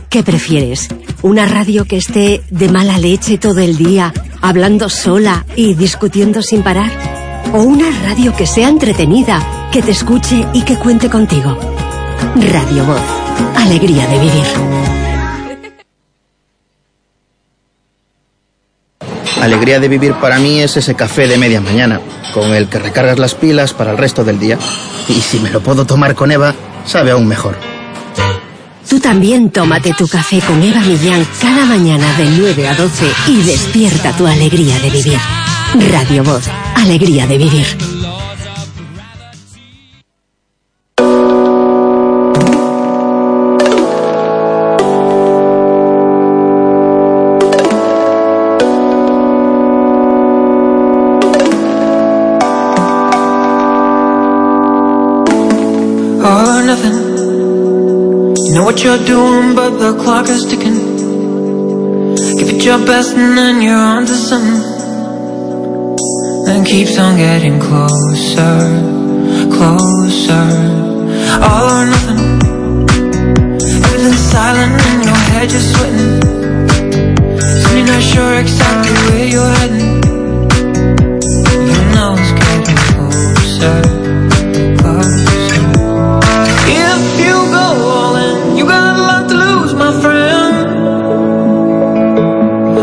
¿Qué prefieres? ¿Una radio que esté de mala leche todo el día, hablando sola y discutiendo sin parar? ¿O una radio que sea entretenida, que te escuche y que cuente contigo? Radio Voz. Alegría de vivir. Alegría de vivir para mí es ese café de media mañana, con el que recargas las pilas para el resto del día. Y si me lo puedo tomar con Eva, sabe aún mejor. Tú también tómate tu café con Eva Millán cada mañana de nueve a doce y despierta tu alegría de vivir. Radio Voz. Alegría de vivir. All or nothing. You know what you're doing, but the clock is ticking. Give it your best and then you're on to something. And keeps on getting closer, closer. All or nothing. Everything's silent in your head, you're sweating. So you're not sure exactly where you're heading. You know it's getting closer, closer. If you go all in, you got a lot to lose, my friend.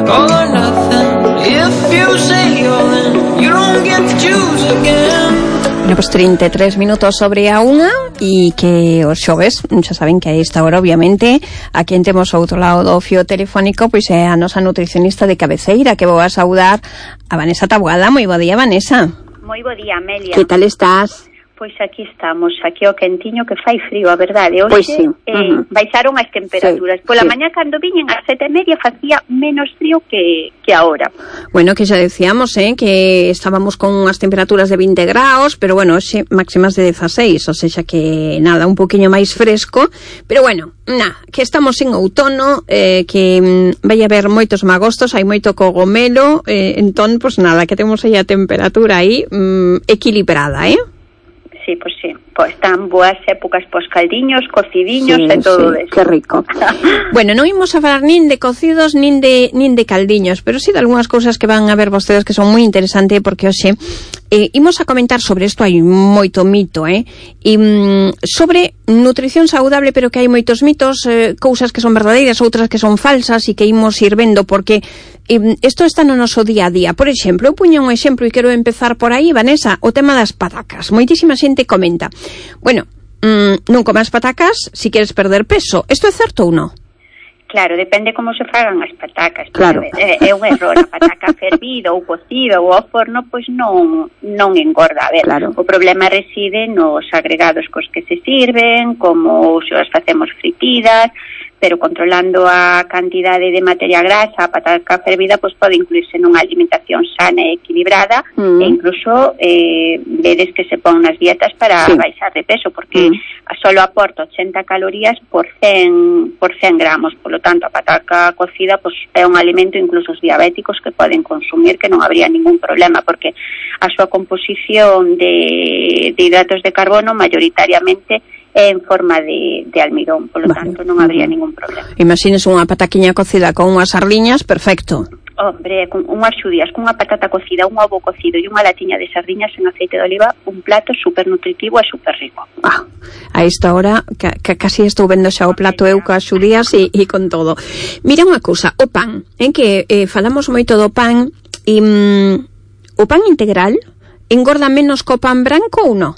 All or nothing. If you say all in, you don't get to choose again. Bueno, pues treinta y tres minutos sobre a unha, e que os xoves, xa saben que a esta hora, obviamente, a quen temos ao outro lado do fío telefónico, pois é a nosa nutricionista de cabeceira, que vou a saudar a Vanessa Taboada. Moi bo día, Vanessa. Moi bo día, Amelia. Que tal estás? Pois aquí estamos, aquí o quentiño que fai frío, a verdade. Hoxe pois sí. eh, uh-huh. baixaron as temperaturas. Sí, Pola sí. mañá cando viñen ás sete e media facía menos frío que, que ahora. Bueno, que xa decíamos, eh, que estábamos con unhas temperaturas de vinte graus, pero bueno, hoxe máximas de dezaseis, o seja que nada, un poquinho máis fresco, pero bueno, na, que estamos en outono, eh, que mm, vai haber moitos magostos, hai moito cogomelo, eh, entón, pues nada, que temos aí a temperatura aí mm, equilibrada, eh? sí, pois pues sí. Pois están boas épocas pos caldiños, cocidiños sí, e todo sí, eso. Que rico. Bueno, non imos a falar nin de cocidos nin de nin de caldiños, pero sí de algunhas cousas que van a ver vostedes que son moi interesantes, porque hoxe eh, imos a comentar sobre isto, hai moito mito, eh? E, mm, sobre nutrición saudable, pero que hai moitos mitos, eh, cousas que son verdadeiras, outras que son falsas, e que imos ir vendo, porque eh, isto está no noso día a día. Por exemplo, eu puño un exemplo e quero empezar por aí, Vanessa, o tema das patacas. Moitísima xente comenta, bueno, mmm, non comas patacas se queres perder peso. Isto é certo ou non? Claro, depende como se fagan as patacas. Claro. É, é un error, a pataca fervida ou cocida ou ao forno, pois non non engorda. A ver, claro. O problema reside nos agregados cos que se sirven, como se as facemos fritidas, pero controlando a cantidade de materia grasa, a pataca fervida pois pode incluirse nunha alimentación sana e equilibrada, mm. e incluso eh, vedes que se pon nas dietas para sí. baixar de peso, porque mm. solo aporta ochenta calorías por cen, por cen gramos, polo tanto a pataca cocida pois é un alimento incluso os diabéticos que poden consumir, que non habría ningún problema, porque a súa composición de, de hidratos de carbono mayoritariamente en forma de, de almidón, polo vale. tanto non habría ningún problema. Imagines unha pataquiña cocida con unhas sardiñas, perfecto. Hombre, con unhas xudías, con unha patata cocida, un ovo cocido e unha latiña de sardiñas en aceite de oliva, un plato super nutritivo e super rico. Ah, a esta hora, que, que casi estou vendo xa o plato eu coas xudías e, e con todo. Mira unha cousa, o pan, en que eh, falamos moito do pan, e mm, o pan integral engorda menos co pan branco ou non?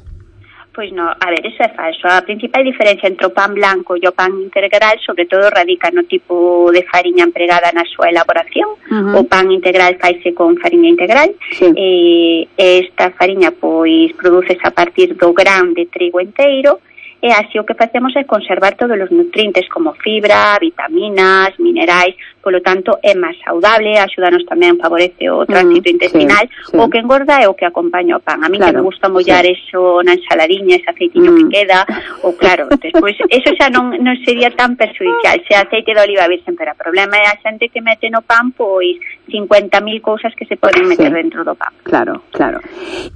Pois non, a ver, eso é falso. A principal diferencia entre o pan blanco e o pan integral sobre todo radica no tipo de fariña empregada na súa elaboración. Uh-huh. O pan integral faise con fariña integral, sí. e esta fariña pois produces a partir do gran de trigo enteiro, e así o que facemos é conservar todos os nutrientes como fibra, vitaminas, minerais, polo tanto é máis saudable, axúdanos tamén, favorece o tránsito mm, intestinal. Sí, sí. O que engorda é o que acompaña o pan. A mí claro, que me gusta mollar sí. eso na ensaladiña, ese aceitiño mm. que queda, ou claro, despois eso xa non, non sería tan perjudicial, se aceite de oliva virgen, pero o problema é a xente que mete no pan pois cincuenta mil cousas que se poden meter sí. dentro do pan. Claro, claro.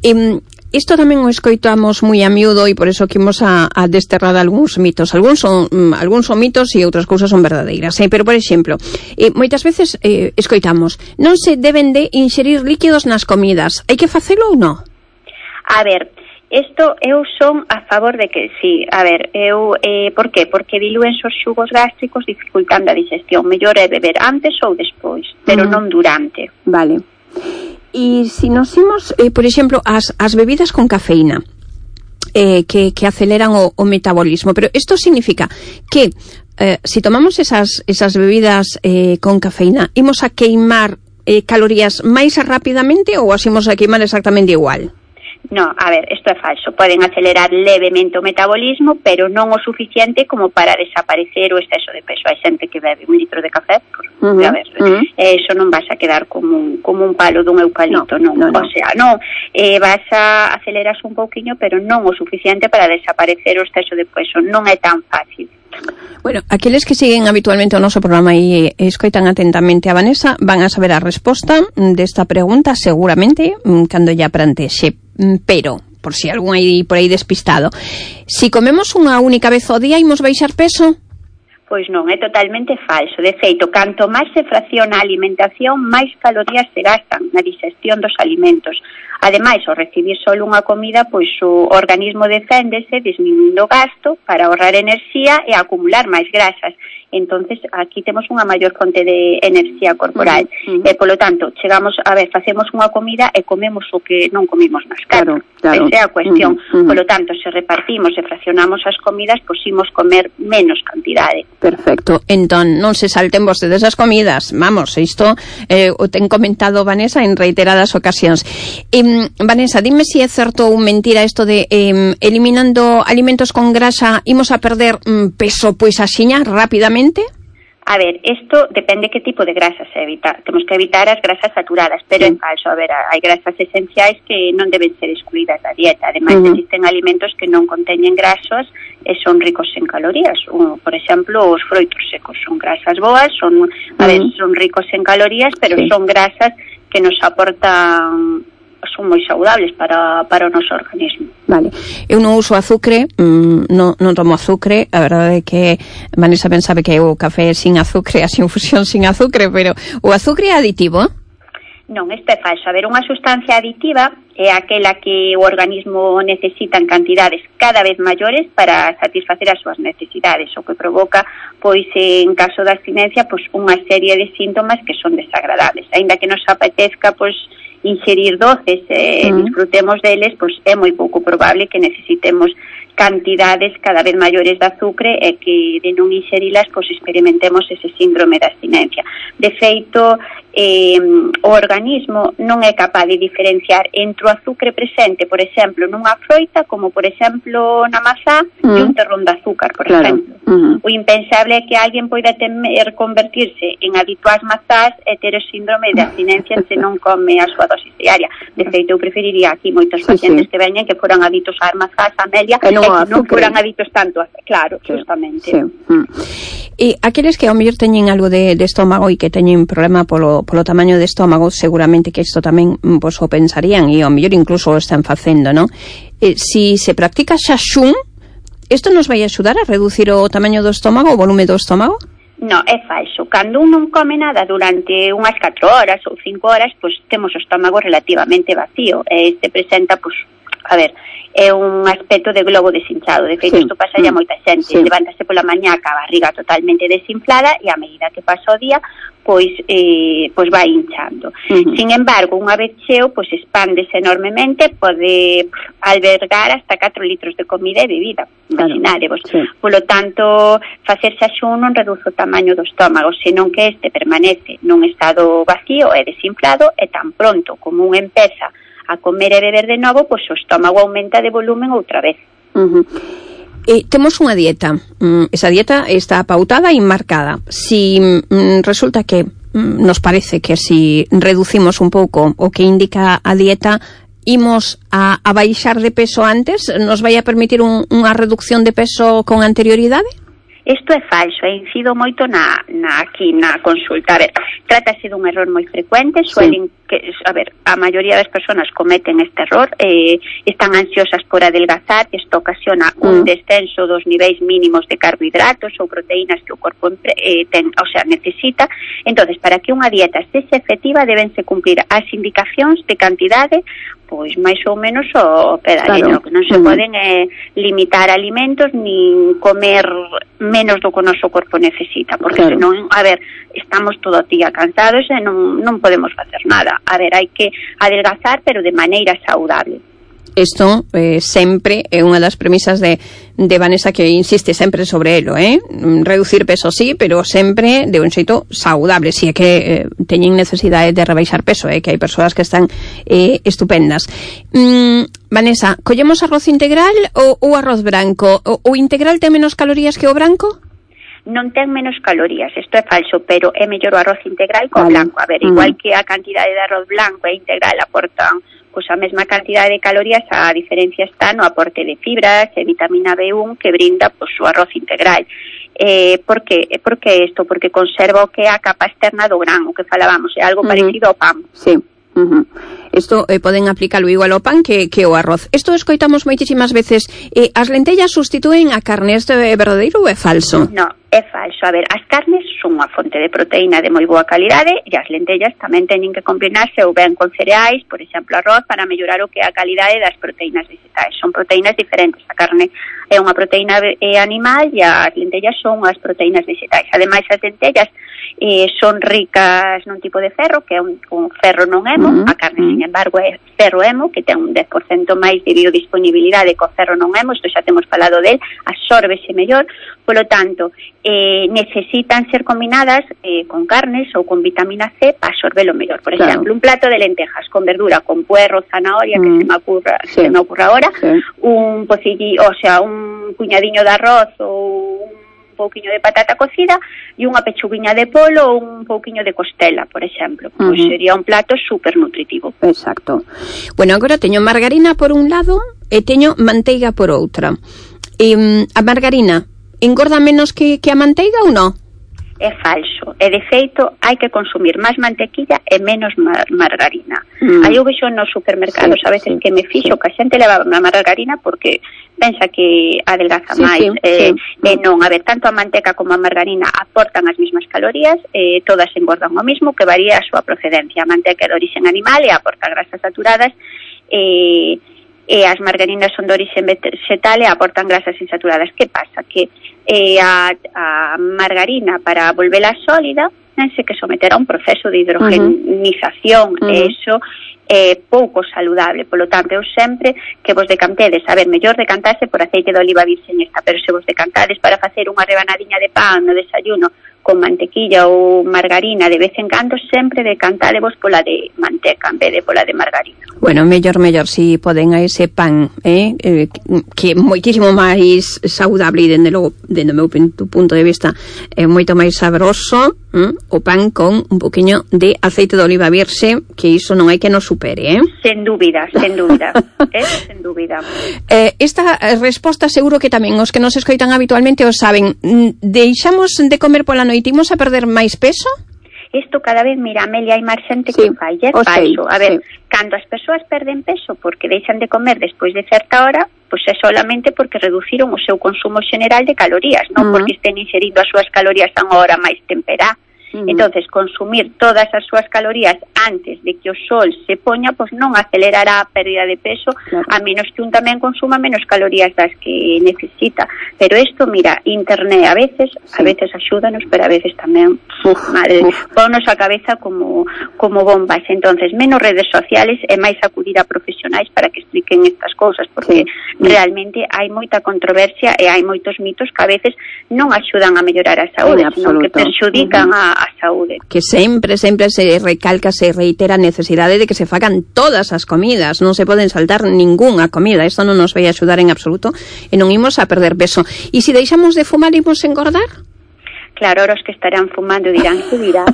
E isto tamén o escoitamos moi a miúdo e por eso que imos a, a desterrar algúns mitos. Algúns son, um, algúns son mitos e outras cousas son verdadeiras. Eh? Pero, por exemplo, eh, moitas veces eh, escoitamos, non se deben de inxerir líquidos nas comidas. Hai que facelo ou non? A ver, isto eu son a favor de que sí. A ver, eu, eh, por qué? Porque dilúen os xugos gástricos dificultando a digestión. Mellor é beber antes ou despois, pero mm. non durante. Vale. E se nos imos, eh, por exemplo, as, as bebidas con cafeína, eh, que, que aceleran o, o metabolismo, pero isto significa que eh, se tomamos esas, esas bebidas eh, con cafeína, imos a queimar eh, calorías máis rapidamente ou as imos a queimar exactamente igual? No, a ver, isto é falso. Poden acelerar levemente o metabolismo, pero non o suficiente como para desaparecer o exceso de peso. Hai xente que bebe un litro de café, pues, uh-huh, a ver, uh-huh. eh, eso non vas a quedar como un, como un palo dun eucalipto, no, non. No, no. O sea, non, eh, vas a acelerar un pouquiño, pero non o suficiente para desaparecer o exceso de peso. Non é tan fácil. Bueno, aqueles que siguen habitualmente o noso programa e escoitan atentamente a Vanessa van a saber a resposta desta pregunta seguramente cando ya plantexe, pero por si algún aí por aí despistado, si comemos unha única vez ao día imos baixar peso? Pois non, é totalmente falso. De feito, canto máis se fracciona a alimentación, máis calorías se gastan na digestión dos alimentos. Ademais, ao recibir só unha comida, pois o organismo deféndese disminuindo o gasto para ahorrar enerxía e acumular máis grasas. Entonces, aquí temos unha maior fonte de enerxía corporal. Uh-huh. E, polo tanto, chegamos, a ver, facemos unha comida e comemos o que non comimos nas casas. Claro, claro. Esa é a cuestión. Uh-huh. Polo tanto, se repartimos e fraccionamos as comidas, pois imos comer menos cantidade. Perfecto. Entón, non se salten vostedes as comidas. Vamos, isto eh, o ten comentado Vanessa en reiteradas ocasións. Eh, Vanessa, dime se si é certo ou mentira isto de eh, eliminando alimentos con grasa imos a perder mm, peso pois axiña rapidamente. A ver, isto depende que tipo de grasas se evita. Temos que evitar as grasas saturadas, pero sí. É falso. A ver, hai grasas esenciais que non deben ser excluídas da dieta. Ademais, uh-huh. existen alimentos que non conteñen grasos e son ricos en calorías. Uh, por exemplo, os froitos secos son grasas boas, son, a uh-huh. ver, son ricos en calorías, pero sí. son grasas que nos aportan son moi saudables para, para o noso organismo. Vale, eu non uso azúcar, mmm, non, non tomo azúcar, a verdade é que Vanessa ben sabe que o café sin azúcar, así infusión sin azúcar, pero o azúcar é aditivo? Non, isto é falso. A ver, unha sustancia aditiva é aquela que o organismo necesita en cantidades cada vez maiores para satisfacer as súas necesidades, o que provoca, pois, en caso da abstinencia, pois, unha serie de síntomas que son desagradables. Aínda que nos apetezca, pois, inxerir doces e mm. disfrutemos deles, pois é moi pouco probable que necesitemos cantidades cada vez maiores de azúcar e que de non inxerilas, pois experimentemos ese síndrome de abstinencia. De feito, eh, o organismo non é capaz de diferenciar entre o azúcar presente, por exemplo, nunha froita, como por exemplo na mazá, mm. e un terrón de azúcar, por claro. exemplo. Mm. O impensable é que alguén poida temer convertirse en adicto ás mazás e ter o síndrome de abstinencia se non come a súa dosis diaria. De feito, eu preferiría aquí moitos pacientes sí, sí. que veñen que foran adictos ás mazás, a melia, e non, e que non foran adictos tanto a... Claro, sí. justamente. Sí. Mm. E aqueles que ao mellor teñen algo de, de estómago e que teñen problema polo, polo tamaño de estómago, seguramente que isto tamén pues, o pensarían e ao mellor incluso o están facendo, non? Eh, si se practica xaxún, isto nos vai axudar a reducir o tamaño do estómago, o volume do estómago? No, é falso. Cando un non come nada durante unhas catro horas ou cinco horas, pois temos o estómago relativamente vacío. E este presenta, pois, a ver, é un aspecto de globo deshinchado. De feito, sí. isto pasa ya moita xente. Sí. Levántase pola mañá ca barriga totalmente desinflada e a medida que pasa o día, pois eh, pois vai hinchando. Uh-huh. Sin embargo, unha vez cheo, pois expándese enormemente, pode albergar hasta catro litros de comida e bebida. Imaginarevos. Sí. Polo tanto, facer xaxún non reduce o tamaño do estómago, senón que este permanece nun estado vacío e desinflado e tan pronto como un empeza a comer e beber de novo, pois o estómago aumenta de volumen outra vez. Uh-huh. Eh, temos unha dieta, mm, esa dieta está pautada e marcada. Si mm, resulta que mm, nos parece que si reducimos un pouco o que indica a dieta, imos a, a baixar de peso antes, nos vai a permitir un, unha reducción de peso con anterioridade? Isto é falso, e incido moito na, na aquí na consulta. A ver, trátase dun error moi frecuente, suelen sí. que, a ver, a maioría das persoas cometen este error, eh, están ansiosas por adelgazar, isto ocasiona mm. un descenso dos niveis mínimos de carbohidratos ou proteínas que o corpo eh, ten, o sea, necesita. Entonces, para que unha dieta sexa efectiva, debense cumplir as indicacións de cantidade, pois máis ou menos o pedalino, claro. que non se mm. poden eh, limitar alimentos nin comer menos do que o noso corpo necesita, porque claro. senón, a ver, estamos todo o día cansados e non, non podemos facer nada. A ver, hai que adelgazar, pero de maneira saudable. Isto eh, sempre é unha das premisas de, de Vanessa, que insiste sempre sobre elo, eh? Reducir peso sí, pero sempre de un xeito saudable, si é que eh, teñen necesidade de rebaixar peso, eh? Que hai persoas que están eh, estupendas. Mm, Vanessa, collemos arroz integral ou, ou arroz branco? O, o integral ten menos calorías que o branco? Non ten menos calorías, isto é falso, pero é mellor o arroz integral que o vale. blanco. A ver, igual uh-huh. que a cantidade de arroz blanco e integral aportan pois a mesma cantidade de calorías, a diferencia está no aporte de fibras e vitamina B uno que brinda pois o arroz integral. Eh, por que? Por que isto? Porque conserva o que é a capa externa do gran, o que falábamos, é algo uh-huh. parecido ao pan. Sí. Uh-huh. Isto eh, poden aplicalo igual ao pan que, que ao arroz. Isto escoitamos moitísimas veces, eh, as lentellas sustitúen a carne. Isto é verdadeiro ou é falso? No, é falso. A ver, as carnes son unha fonte de proteína de moi boa calidade e as lentellas tamén teñen que combinarse ou ben con cereais, por exemplo arroz, para mellorar o que é a calidade das proteínas vegetais. Son proteínas diferentes. A carne é unha proteína animal e as lentellas son as proteínas vegetais. Ademais, as lentellas eh, son ricas nun tipo de ferro, que é un, un ferro non hemo. Uh-huh. A carne, sin embargo, é ferro hemo, que ten un dez por cento máis de biodisponibilidade co ferro non hemo. Isto xa temos falado del, absórbese mellor. Polo tanto, eh, necesitan ser combinadas eh, con carnes ou con vitamina C para absorbelo mellor. Por claro. exemplo, un plato de lentejas con verdura, con puerro, zanahoria, mm. que se me ocurra, sí. se me ocurra ahora, sí. un pocillo, o sea, un puñadiño de arroz ou un pouquiño de patata cocida e unha pechuguiña de polo ou un pouquiño de costela, por exemplo. Uh-huh. Pois sería un plato super nutritivo. Exacto. Bueno, agora teño margarina por un lado e teño manteiga por outra. E, a margarina engorda menos que, que a manteiga ou non? é falso. E, de feito, hai que consumir máis mantequilla e menos mar margarina. Mm. Aí eu vexo nos supermercados sí, a veces sí, que me fixo sí. que a xente leva a margarina porque pensa que adelgaza sí, máis. Sí, eh, sí. E non, a ver, tanto a manteca como a margarina aportan as mesmas calorías, eh, todas engordan o mismo, que varía a súa procedencia. A manteca é de origen animal e aporta grasas saturadas, e... Eh, e as margarinas son de origen vegetal e aportan grasas insaturadas. Que pasa? Que eh, a, a margarina, para volverla sólida, tense que someter a un proceso de hidrogenización, uh -huh. e iso é eh, pouco saludable. Polo tanto, eu sempre que vos decantedes, a ver, mellor decantarse por aceite de oliva virgen esta, pero se vos decantades para facer unha rebanadiña de pan no desayuno con mantequilla ou margarina de vez en cando, sempre decantadevos pola de manteca en vez de pola de margarina. Bueno, mellor, mellor, si poden a ese pan, eh, eh que é moitísimo máis saudable e, dende logo, dende o meu punto de vista, é moito máis sabroso, eh, o pan con un poquinho de aceite de oliva virxe, que iso non hai que nos supere, eh? Sen dúbida, sen dúbida, eh, sen dúbida. Eh, esta resposta seguro que tamén os que nos escoitan habitualmente o saben. Deixamos de comer pola noite, imos a perder máis peso? Isto cada vez, mira, Amelia, hai máis xente que sí, fai, é falso. A ver, sí. Cando as persoas perden peso porque deixan de comer despois de certa hora, pois é solamente porque reduciron o seu consumo xeneral de calorías, non uh -huh. porque estén inserindo as súas calorías a unha hora máis temperá. Uh -huh. Entonces, consumir todas as súas calorías antes de que o sol se poña, pois non acelerará a pérdida de peso, claro. A menos que un tamén consuma menos calorías das que necesita. Pero isto, mira, internet a veces, sí. a veces axúdanos, pero a veces tamén, uf, madre, ponnos a cabeza como, como bombas. Entonces, menos redes sociales e máis acudir a profesionais para que expliquen estas cousas, porque sí. realmente hai moita controversia e hai moitos mitos que a veces non axudan a mellorar a saúde, sí, senón que perxudican uh -huh. a a saúde. Que sempre, sempre se recalca, se reitera a necesidade de que se fagan todas as comidas, non se poden saltar ningunha comida, isto non nos vai axudar en absoluto e non imos a perder peso. E se deixamos de fumar, imos engordar? Claro, os que estarán fumando dirán que dirá.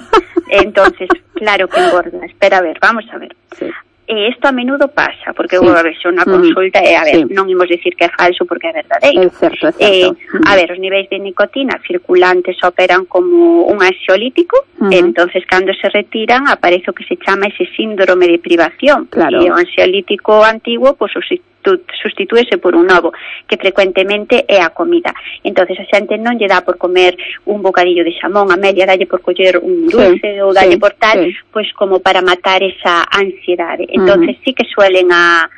Entonces, claro que engorda. Espera a ver, vamos a ver. Sí. E isto a menudo pasa, porque sí. a ver, se unha consulta é, a ver, sí. non imos dicir que é falso porque é verdadeiro. É certo, é certo. Eh, a ver, os niveis de nicotina circulantes operan como un ansiolítico, uh -huh. entonces cando se retiran aparece o que se chama ese síndrome de privación. Claro. E o ansiolítico antigo, pois, pues, sustitúese por un novo, que frecuentemente é a comida. Entonces a xente non lle dá por comer un bocadillo de xamón, Amelia, dalle por coller un dulce sí, ou dalle sí, por tal, sí. pois como para matar esa ansiedade. Entonces uh -huh. sí que suelen a,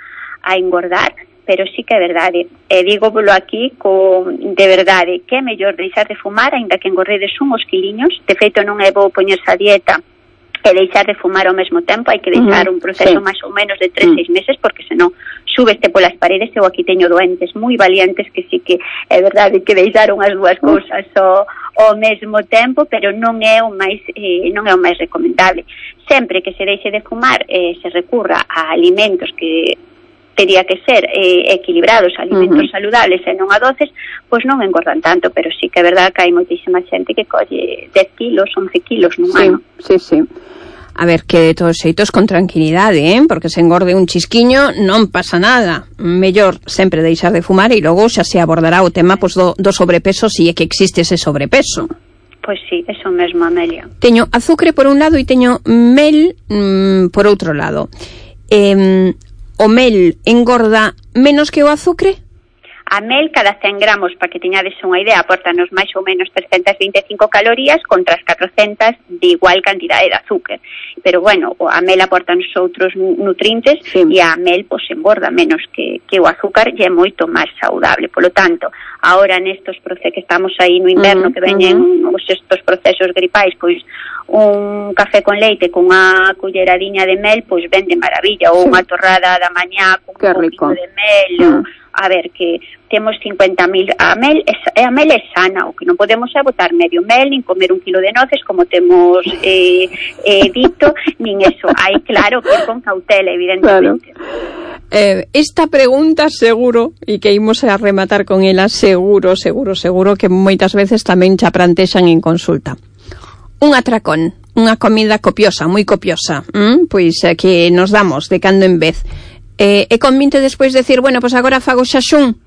a engordar, pero sí que é verdade. E dígovolo aquí con de verdade, que é mellor deixar de fumar, aínda que engorredes unhos quiliños. De feito, non é bo poñerse a dieta e deixar de fumar ao mesmo tempo, hai que deixar uh -huh. un proceso sí. máis ou menos de tres, seis uh -huh. meses, porque senón súbeste polas paredes. Eu aquí teño doentes moi valientes que sí que é verdade que deixaron as dúas cousas ao, ao mesmo tempo, pero non é o máis eh, non é o máis recomendable. Sempre que se deixe de fumar, eh, se recurra a alimentos que teria que ser eh, equilibrados, alimentos uh -huh. saludables e non a doces, pois non engordan tanto, pero sí que é verdade que hai moitísima xente que colle dez kilos, once kilos nun sí, ano. Sí, sí. A ver, que de todos xeitos con tranquilidade, eh? Porque se engorde un chisquiño non pasa nada. Mellor sempre deixar de fumar e logo xa se abordará o tema pois, do, do sobrepeso, se é que existe ese sobrepeso. Pois sí, eso mesmo, Amelia. Teño azúcar por un lado e teño mel mmm, por outro lado. Eh, o mel engorda menos que o azúcar? A mel, cada cen gramos, para que teñades unha idea, aportanos máis ou menos trescentas vinte e cinco calorías contra as catrocentas de igual cantidade de azúcar. Pero, bueno, a mel aportanos outros nutrientes sí. e a mel, pois, engorda menos que, que o azúcar e é moito máis saudable. Polo tanto, ahora nestos procesos que estamos aí no inverno, uh -huh, que veñen uh -huh. estos procesos gripais, pois, un café con leite con unha culleradiña de mel, pois, ven de maravilla, ou sí. unha torrada da mañá con que un rico. poquito de mel, uh -huh. A ver, que temos cincuenta mil a mel, é, a mel é sana, o que non podemos é botar medio mel, nin comer un kilo de noces, como temos eh, eh, dito, nin eso. Hai, claro, que con cautela, evidentemente. Claro. Eh, esta pregunta seguro, e que imos a rematar con ela, seguro, seguro, seguro, que moitas veces tamén xa prantexan en consulta. Un atracón, unha comida copiosa, moi copiosa, ¿m? Pois eh, que nos damos de cando en vez. Eh, é convinte despois decir, bueno, pois agora fago xaxún?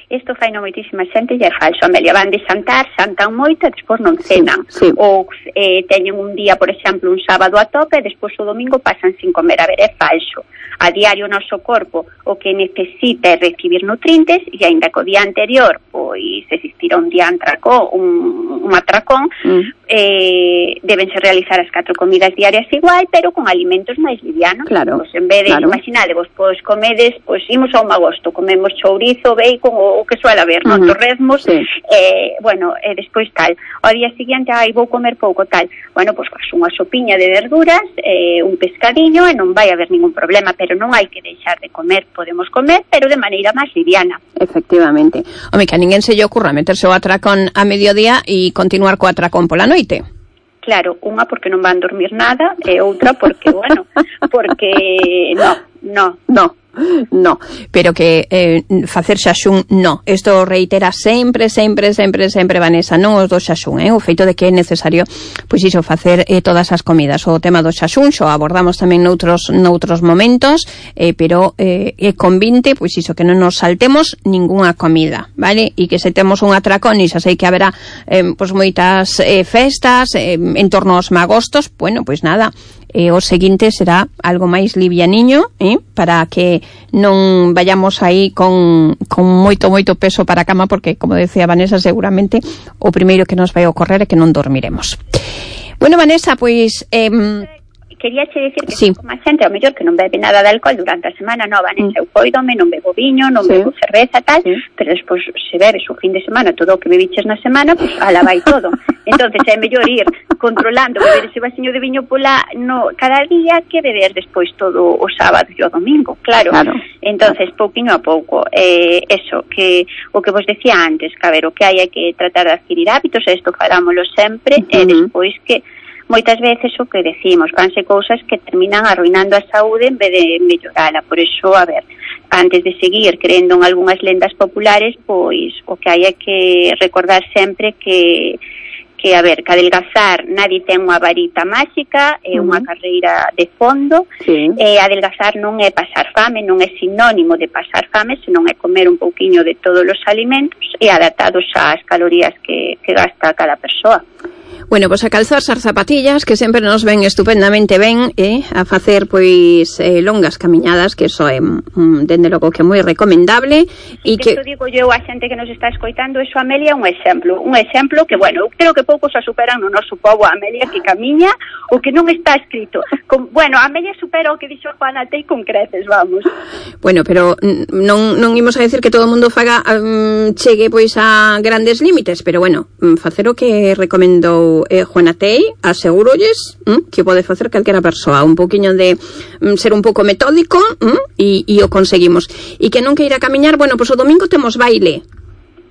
isto fai non moitísima xente e é falso, Amelia, van de xantar, xantan moito e despois non cenan, sí, sí. ou eh, teñen un día, por exemplo, un sábado a tope e despois o domingo pasan sin comer. A ver, é falso. A diario o noso corpo o que necesita é recibir nutrientes e aínda que o día anterior pois existira un día atracón, un, un atracón, mm. eh, debense realizar as catro comidas diarias igual, pero con alimentos máis livianos. Claro. Pois en vez de, claro. imaginadevos, pois comedes, pois imos a un agosto, comemos chourizo, bacon, o, o que suele haber, uh -huh. non? Torrezmos, sí. eh, bueno, e eh, despois tal. Ao día seguinte, ai, vou comer pouco, tal. Bueno, pois faz unha sopiña de verduras, eh, un pescadiño, e non vai haber ningún problema, pero non hai que deixar de comer, podemos comer, pero de maneira máis liviana. Efectivamente. Home, que a ninguén se lle ocurra meterse o atracón a mediodía e continuar co atracón pola noite. Claro, unha porque non van dormir nada e outra porque, bueno, porque no, no, no. No, pero que eh, facer xaxún, no. Isto reitera sempre, sempre, sempre, sempre, Vanessa, non os do xaxún, eh? O feito de que é necesario, pois iso, facer eh, todas as comidas. O tema do xaxún xo abordamos tamén noutros, noutros momentos, eh, pero eh, é convinte, pois iso, que non nos saltemos ningunha comida, vale? E que se temos un atracón, e xa sei que haberá eh, pois moitas eh, festas eh, en torno aos magostos, bueno, pois nada, e o seguinte será algo máis livianiño, eh, para que non vayamos aí con, con moito, moito peso para a cama, porque, como decía Vanessa, seguramente o primeiro que nos vai ocorrer é que non dormiremos. Bueno, Vanessa, pois... Eh, quería che dicir que sí. como a xente, ao mellor que non bebe nada de alcohol durante a semana, non, Vanessa, mm. eu coidome, non bebo viño, non sí. bebo cerveza, tal, sí. pero despois se bebes o fin de semana todo o que bebiches na semana, pois pues, ala vai todo. Entonces é mellor ir controlando, beber ese vasiño de viño pola no cada día que beber despois todo o sábado e o domingo, claro. claro. Entonces, pouquiño a pouco, eh, eso, que o que vos decía antes, que a ver, o que hai é que tratar de adquirir hábitos, e isto falámoslo sempre, uh -huh. e despois que moitas veces o que decimos, vanse cousas que terminan arruinando a saúde en vez de mellorala. Por iso, a ver, antes de seguir crendo en algunhas lendas populares, pois o que hai é que recordar sempre que que, a ver, que adelgazar nadie ten unha varita máxica, é unha uh -huh. carreira de fondo, sí. e adelgazar non é pasar fame, non é sinónimo de pasar fame, senón é comer un pouquiño de todos os alimentos e adaptados ás calorías que, que gasta cada persoa. Bueno, pois a calzarse as zapatillas, que sempre nos ven estupendamente ben, eh, a facer pois eh, longas camiñadas, que eso é mm, dende logo que é moi recomendable. E que isto digo eu a xente que nos está escoitando, eso, Amelia, é un exemplo, un exemplo que, bueno, eu creo que poucos a superan no noso pobo, Amelia, que camiña o que non está escrito. Con, bueno, Amelia supera o que dixo Juana Tei con creces, vamos. Bueno, pero non, non imos a decir que todo o mundo faga um, chegue pois a grandes límites, pero bueno, facer o que recomendou Eh, Juana Tei, asegurolles mm, que pode facer calquera persoa, un poquinho de mm, ser un pouco metódico mm, e, e o conseguimos. E que non queira camiñar, bueno, pois o domingo temos baile.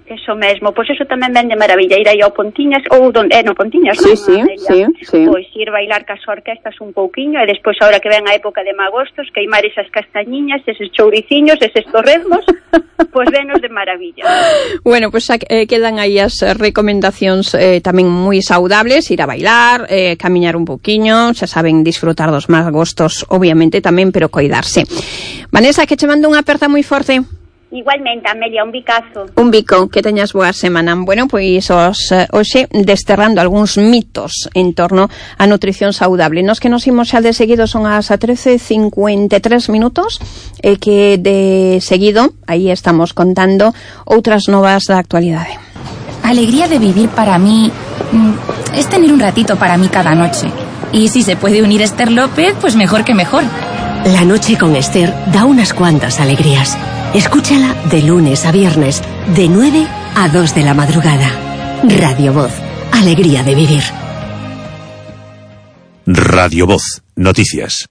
Eso mesmo, pois eso tamén ven de maravilla, ir aí ao Pontiñas, ou donde, eh, no Pontiñas, sí, non, sí, sí, sí. Pois ir bailar cas orquestas un pouquiño, e despois, agora que ven a época de magostos, queimar esas castañiñas, eses chouriciños, eses torrezmos, pois venos de maravilla. Bueno, pois pues, eh, quedan aí as recomendacións eh, tamén moi saudables, ir a bailar, eh, camiñar un pouquiño, xa saben, disfrutar dos magostos, obviamente tamén, pero coidarse. Vanessa, que che mando unha aperta moi forte. Igualmente, Amelia, un bicazo. Un bico, que teñas boa semana. Bueno, pois os, hoxe desterrando algúns mitos en torno á nutrición saudable. Nos que nos imos xa de seguido son as trece e cincuenta e tres minutos, e que de seguido aí estamos contando outras novas da actualidade. Alegría de vivir para mí es tener un ratito para mí cada noche. Y si se puede unir Esther López, pues mejor que mejor. La noche con Esther da unas cuantas alegrías. Escúchala de lunes a viernes, de nueve a dos de la madrugada. Radio Voz, alegría de vivir. Radio Voz, noticias.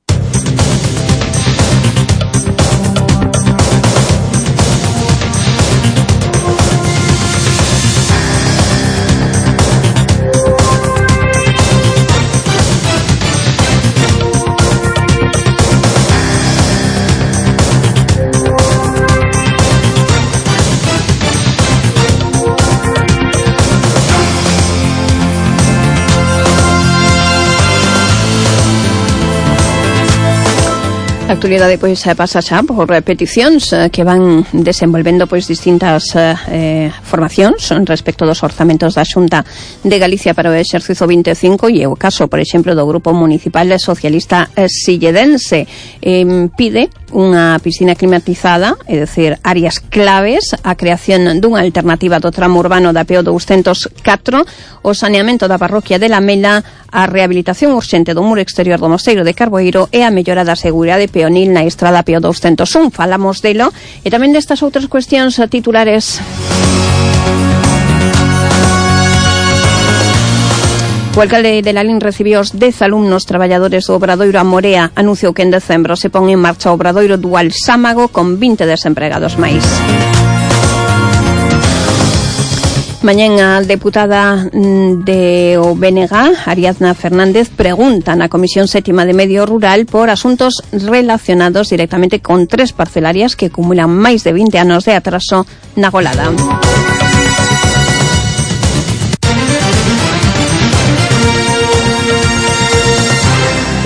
A actualidade pois pasa xa por peticións que van desenvolvendo pois distintas eh, formacións respecto dos orzamentos da Xunta de Galicia para o exercicio vinte e cinco, e o caso, por exemplo, do Grupo Municipal Socialista Silledense eh, pide unha piscina climatizada, é dicir, áreas claves, a creación dunha alternativa do tramo urbano da P O doscientos catro, o saneamento da parroquia de Lamela, a rehabilitación urxente do muro exterior do Mosteiro de Carboeiro e a mellora da seguridade peonil na estrada P O doscientos un. Falamos delo e tamén destas outras cuestións titulares. O alcalde de Lalín recibiu os dez alumnos traballadores do Obradoiro a Morea. Anunciou que en decembro se pon en marcha o Obradoiro Dual Sámago con vinte desempregados máis. Mañén a deputada de o B N G, Ariadna Fernández, pregunta na Comisión Sétima de Medio Rural por asuntos relacionados directamente con tres parcelarias que acumulan máis de vinte anos de atraso na Golada.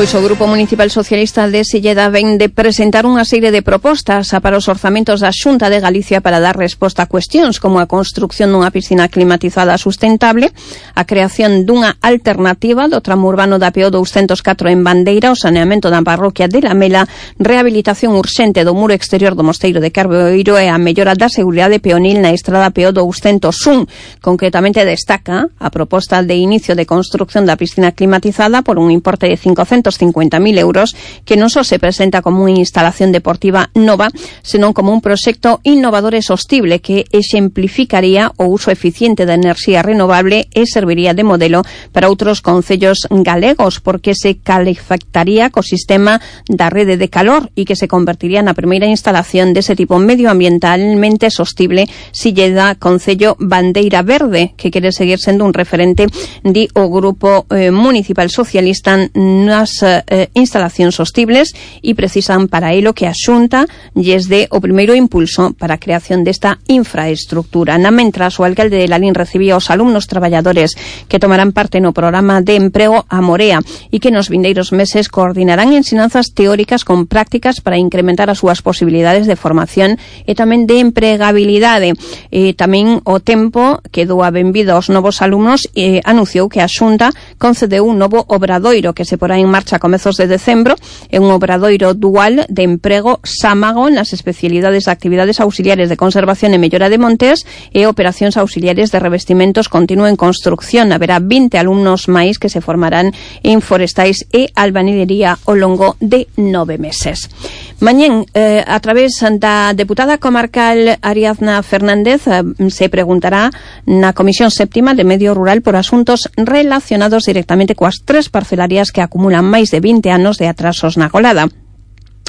Pois o Grupo Municipal Socialista de Silleda ven de presentar unha serie de propostas para os orzamentos da Xunta de Galicia para dar resposta a cuestións como a construcción dunha piscina climatizada sustentable, a creación dunha alternativa do tramo urbano da P O doscientos catro en Bandeira, o saneamento da parroquia de Lamela, rehabilitación urxente do muro exterior do Mosteiro de Carboeiro e a mellora da seguridade peonil na estrada P O doscientos un. Concretamente destaca a proposta de inicio de construcción da piscina climatizada por un importe de cincocentos cincuenta mil euros, que non só se presenta como unha instalación deportiva nova, senón como un proxecto innovador e sostible que exemplificaría o uso eficiente da enerxía renovable e serviría de modelo para outros concellos galegos, porque se calefactaría co sistema da rede de calor e que se convertiría na primeira instalación dese tipo medioambientalmente sostible Silleda, Concello Bandeira Verde, que quere seguir sendo un referente di o Grupo eh, Municipal Socialista nas eh, instalacións sostibles e precisan para elo que a Xunta lles dé o primeiro impulso para a creación desta infraestructura. Na mentras, o alcalde de Lalín recibía os alumnos traballadores que tomarán parte no programa de emprego a Morea e que nos vindeiros meses coordinarán ensinanzas teóricas con prácticas para incrementar as súas posibilidades de formación e tamén de empregabilidade. E tamén o tempo que dou a benvida aos novos alumnos e anunciou que a Xunta concedeu un novo obradoiro que se porá en marcha a comezos de decembro, é un obradoiro dual de emprego Sámago nas especialidades de actividades auxiliares de conservación e mellora de montes e operacións auxiliares de revestimentos continuo en construcción. Haberá vinte alumnos máis que se formarán en forestais e albañilería ao longo de nove meses. Mañén, eh, a través da deputada comarcal Ariadna Fernández, eh, se preguntará na Comisión Séptima de Medio Rural por asuntos relacionados directamente coas tres parcelarias que acumulan máis de vinte anos de atrasos na Golada.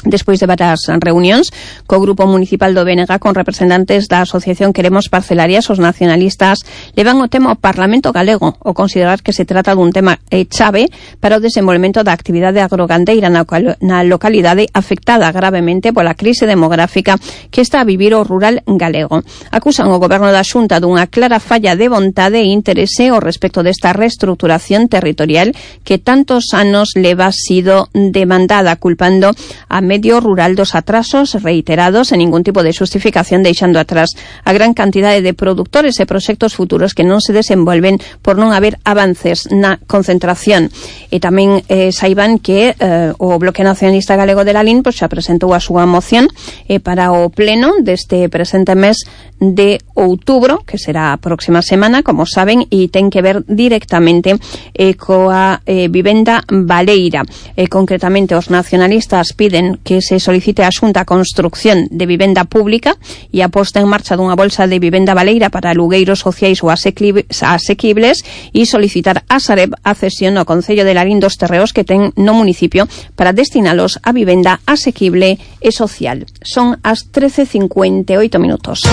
Despois de varias reunións co Grupo Municipal do B N G con representantes da Asociación Queremos Parcelarias, os nacionalistas levan o tema ao Parlamento Galego, ao considerar que se trata dun tema eh, chave para o desenvolvemento da actividade agrogandeira na, na localidade afectada gravemente pola crise demográfica que está a vivir o rural galego. Acusan o Goberno da Xunta dunha clara falla de vontade e interese ao respecto desta reestruturación territorial que tantos anos leva sido demandada, culpando a medio rural dos atrasos reiterados en ningún tipo de xustificación, deixando atrás a gran cantidade de produtores e proxectos futuros que non se desenvolven por non haber avances na concentración. E tamén eh, saiban que eh, o Bloque Nacionalista Galego de Lalín pois, xa presentou a súa moción eh, para o pleno deste presente mes de outubro, que será a próxima semana, como saben, e ten que ver directamente eh, coa eh, vivenda baleira. Eh, concretamente, os nacionalistas piden que se solicite a Xunta a construcción de vivenda pública e a posta en marcha dunha bolsa de vivenda baleira para alugueiros sociais ou asequibles e solicitar a Sareb a cesión ao Concello de Lalín dos terreos que ten no municipio para destinalos a vivenda asequible e social. Son as trece cincuenta e oito minutos.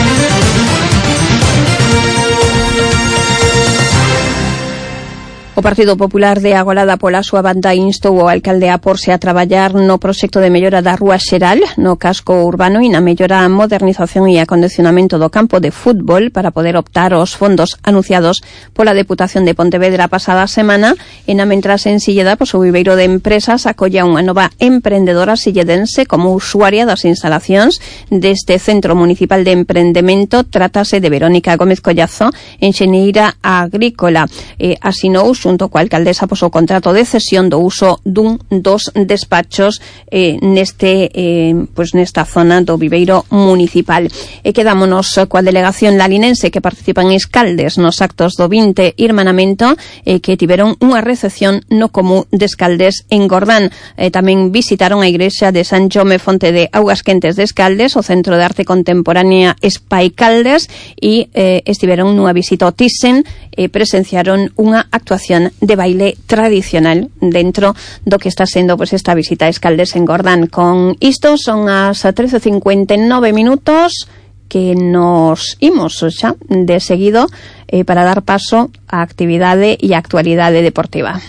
O Partido Popular de Agolada pola súa banda instou o alcalde a porse a traballar no proxecto de mellora da Rúa Xeral, no casco urbano e na mellora, modernización e acondicionamento do campo de fútbol para poder optar aos fondos anunciados pola Deputación de Pontevedra a pasada semana. E na mentras en Silleda, pois o viveiro de empresas acolla unha nova emprendedora silledense como usuaria das instalacións deste Centro Municipal de Emprendemento. Trátase de Verónica Gómez Collazo, enxeñeira agrícola. E asinou xunto coa alcaldesa pois o contrato de cesión do uso dun dos despachos eh, neste eh, pois nesta zona do viveiro municipal. E quedámonos coa delegación lalinense que participa en Escaldes nos actos do vinte Irmanamento eh, que tiveron unha recepción no Comú de Escaldes en Gordán. Eh, tamén visitaron a igrexa de San Jome Fonte de Augas Quentes de Escaldes, o Centro de Arte Contemporánea Espai Caldes, e eh, estiveron nunha visita ao Thyssen e eh, presenciaron unha actuación de baile tradicional dentro do que está sendo pois esta visita a Escaldes en Gordán. Con isto son as trece cincuenta e nove minutos que nos imos xa de seguido eh, para dar paso á actividade e a actualidade deportiva.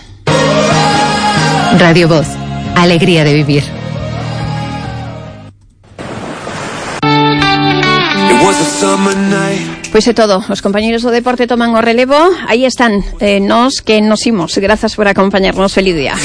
Radio Voz, alegría de vivir. Pois é todo, os compañeros do deporte toman o relevo. Aí están, eh, nos que nos imos. Grazas por acompañarnos, feliz día.